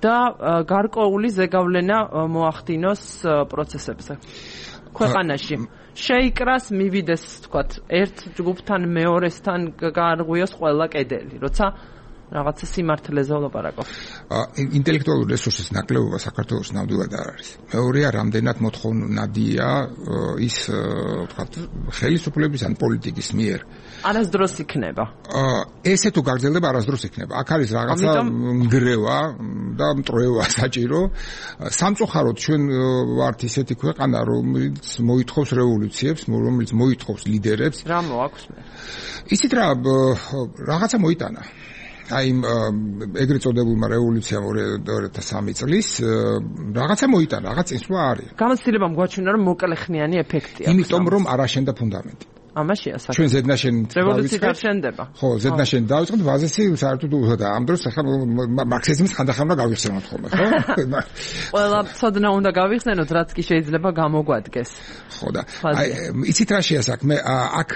და გარკვეული ზეგავლენა მოახდინოს პროცესებზე. ქვეყანაში შეიკრას, მივიდეს, თქვათ, ერთ ჯგუფთან მეორესთან გაარღვიოს ყველა კედელი, როცა რაღაცა სიმართლეზე ვლაპარაკობ. ინტელექტუალური რესურსის ნაკლებობა საქართველოს ნამდვილად არ არის. მეორეა, რამდენად მოთხოვნადია ის ვთქვათ ხელისუფლების ან პოლიტიკის მიერ. არასდროს იქნება. ესე თუ გაგრძელდება არასდროს იქნება. აქ არის რაღაცა ნგრევა და მტრევა საჭირო. სამწუხაროდ ჩვენ ვართ ისეთი ქვეყანა, რომელიც მოითხოვს რევოლუციებს, რომელიც მოითხოვს ლიდერებს. რა მოაქვს მე? ისიც რაღაცა მოიტანა. აი ეგრეთ წოდებულმა რევოლუციამ 2003 წლის რაღაცა მოიტანა, რაღაც წინსვლა არის. გამოცდილებამ გვაჩვენა, რომ მოკლეხნიანი ეფექტი აქვს. იმიტომ რომ არ აშენდა ფუნდამენტი. ამაშია საქმე. ჩვენ ზედნაშენით რევოლუცია არ შენდება. ხო, ზედნაშენით დავიწყეთ, ბაზისი საერთოდ უხდა. ამ დროს ახლა მარქსიზმის ხანდახან უნდა გავიხსენოთ ხოლმე, ხო? ყველა ცოდნა უნდა გავიხსენოთ, რაც კი შეიძლება გამოგვადგეს. ხო და აი იცით რა შეასაქმე? აქ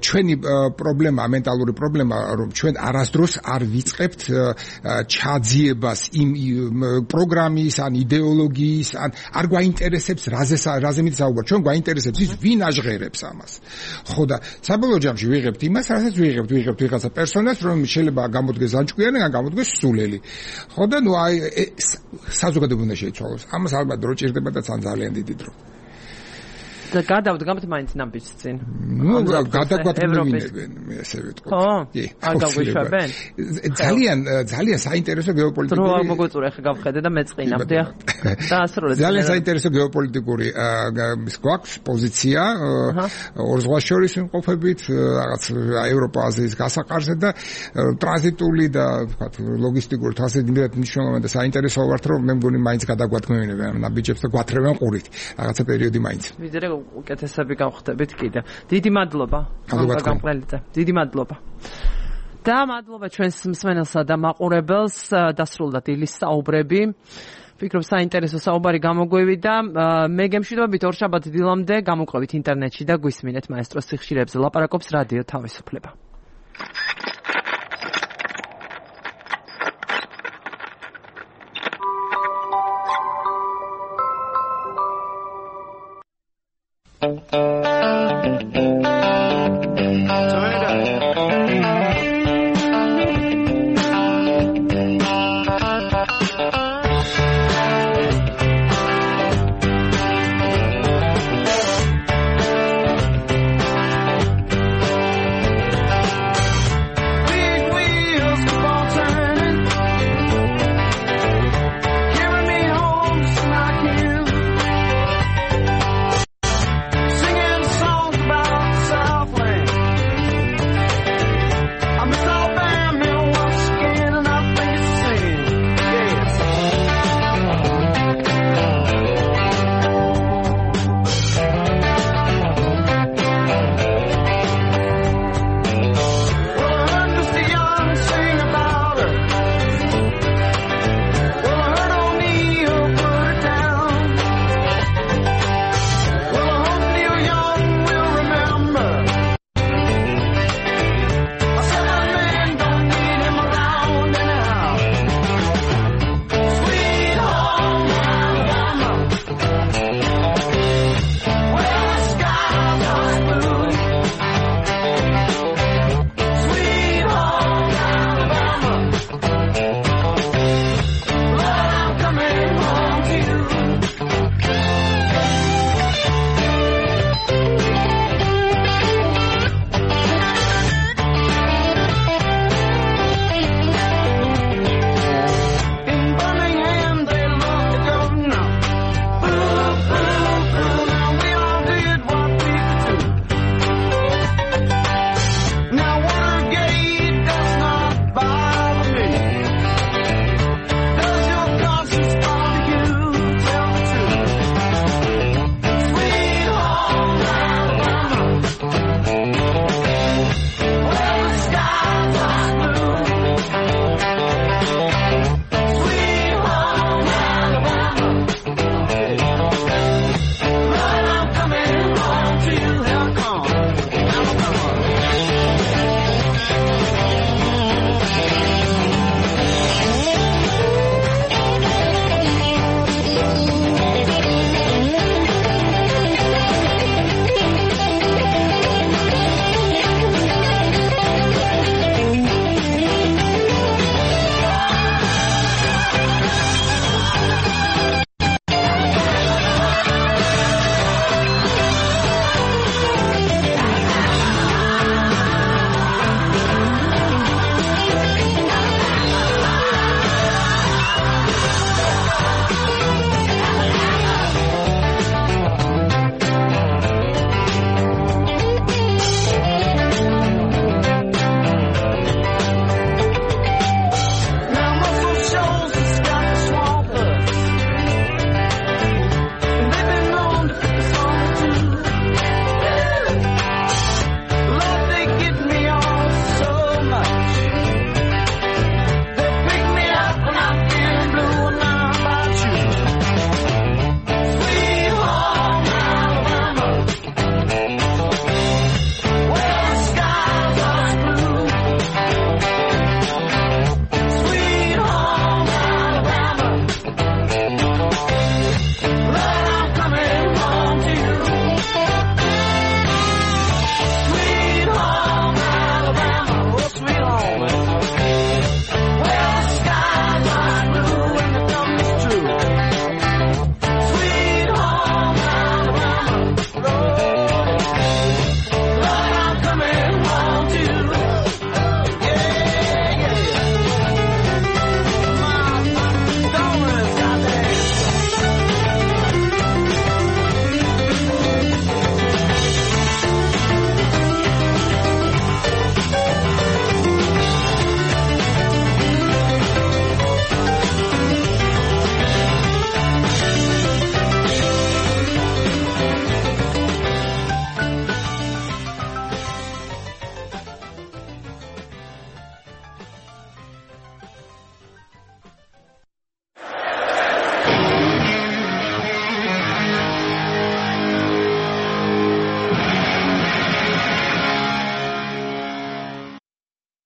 ჩვენი პრობლემა, მენტალური პრობლემა, რომ ჩვენ არასდროს არ ვიწყებთ ჩაძიებას იმ პროგრამის ან იდეოლოგიის ან არ გვაინტერესებს რაზე მიცაუბრა. ჩვენ გვაინტერესებს ის ვინ აჟღერებს ამას. ხო და საბოლოო ჯამში ვიღებთ იმას, რასაც ვიღებთ ვიღაცა პერსონას, რომ შეიძლება გამოდგეს ანჭკვიანი, ან გამოდგეს სულელი. ხო და ნუ აი საზოგადოება უნდა შეიცვალოს. ამას ალბათ დრო ჭირდება და ძალიან დიდი დრო. და გადავდგამთ მაინც ნაბიჯს წინ. ნუ გადაგვატყობინებენ, მე ასე ვიტყვი. ხო? არ გაგვიშვებენ? ძალიან საინტერესო გეოპოლიტიკური. დრო არ მოგოწურე, ახლა გავხედე და მეწყინავდი. და ასროლე. ძალიან საინტერესო გეოპოლიტიკური ის გვაქვს პოზიცია ორ ზღვას შორის იმყოფებით, რაღაც ევროპა-აზიის გასაყარზე და ტრანზიტული და ვთქვათ ლოგისტიკური თვალსაჩინო მნიშვნელოვანი და საინტერესო ვართ, რომ მე მგონი მაინც გადაგვატყობინებენ ამ ნაბიჯებს და გვათრევენ ყურით. რაღაცა პერიოდი მაინც. ვიდრე უკეთესები გავხდებით კიდე. დიდი მადლობა. გამყრელიძე. დიდი მადლობა. და მადლობა ჩვენს მსმენელსა და მაყურებელს. დასრულდა დილის საუბრები. ვფიქრობ საინტერესო საუბარი გამოგვივიდა. მე გემშვიდობებით ორშაბათ დილამდე გამოყვებით ინტერნეტში და გვისმინეთ მაესტროს სიხშირეებზე ლაპარაკობს რადიო თავისუფლება.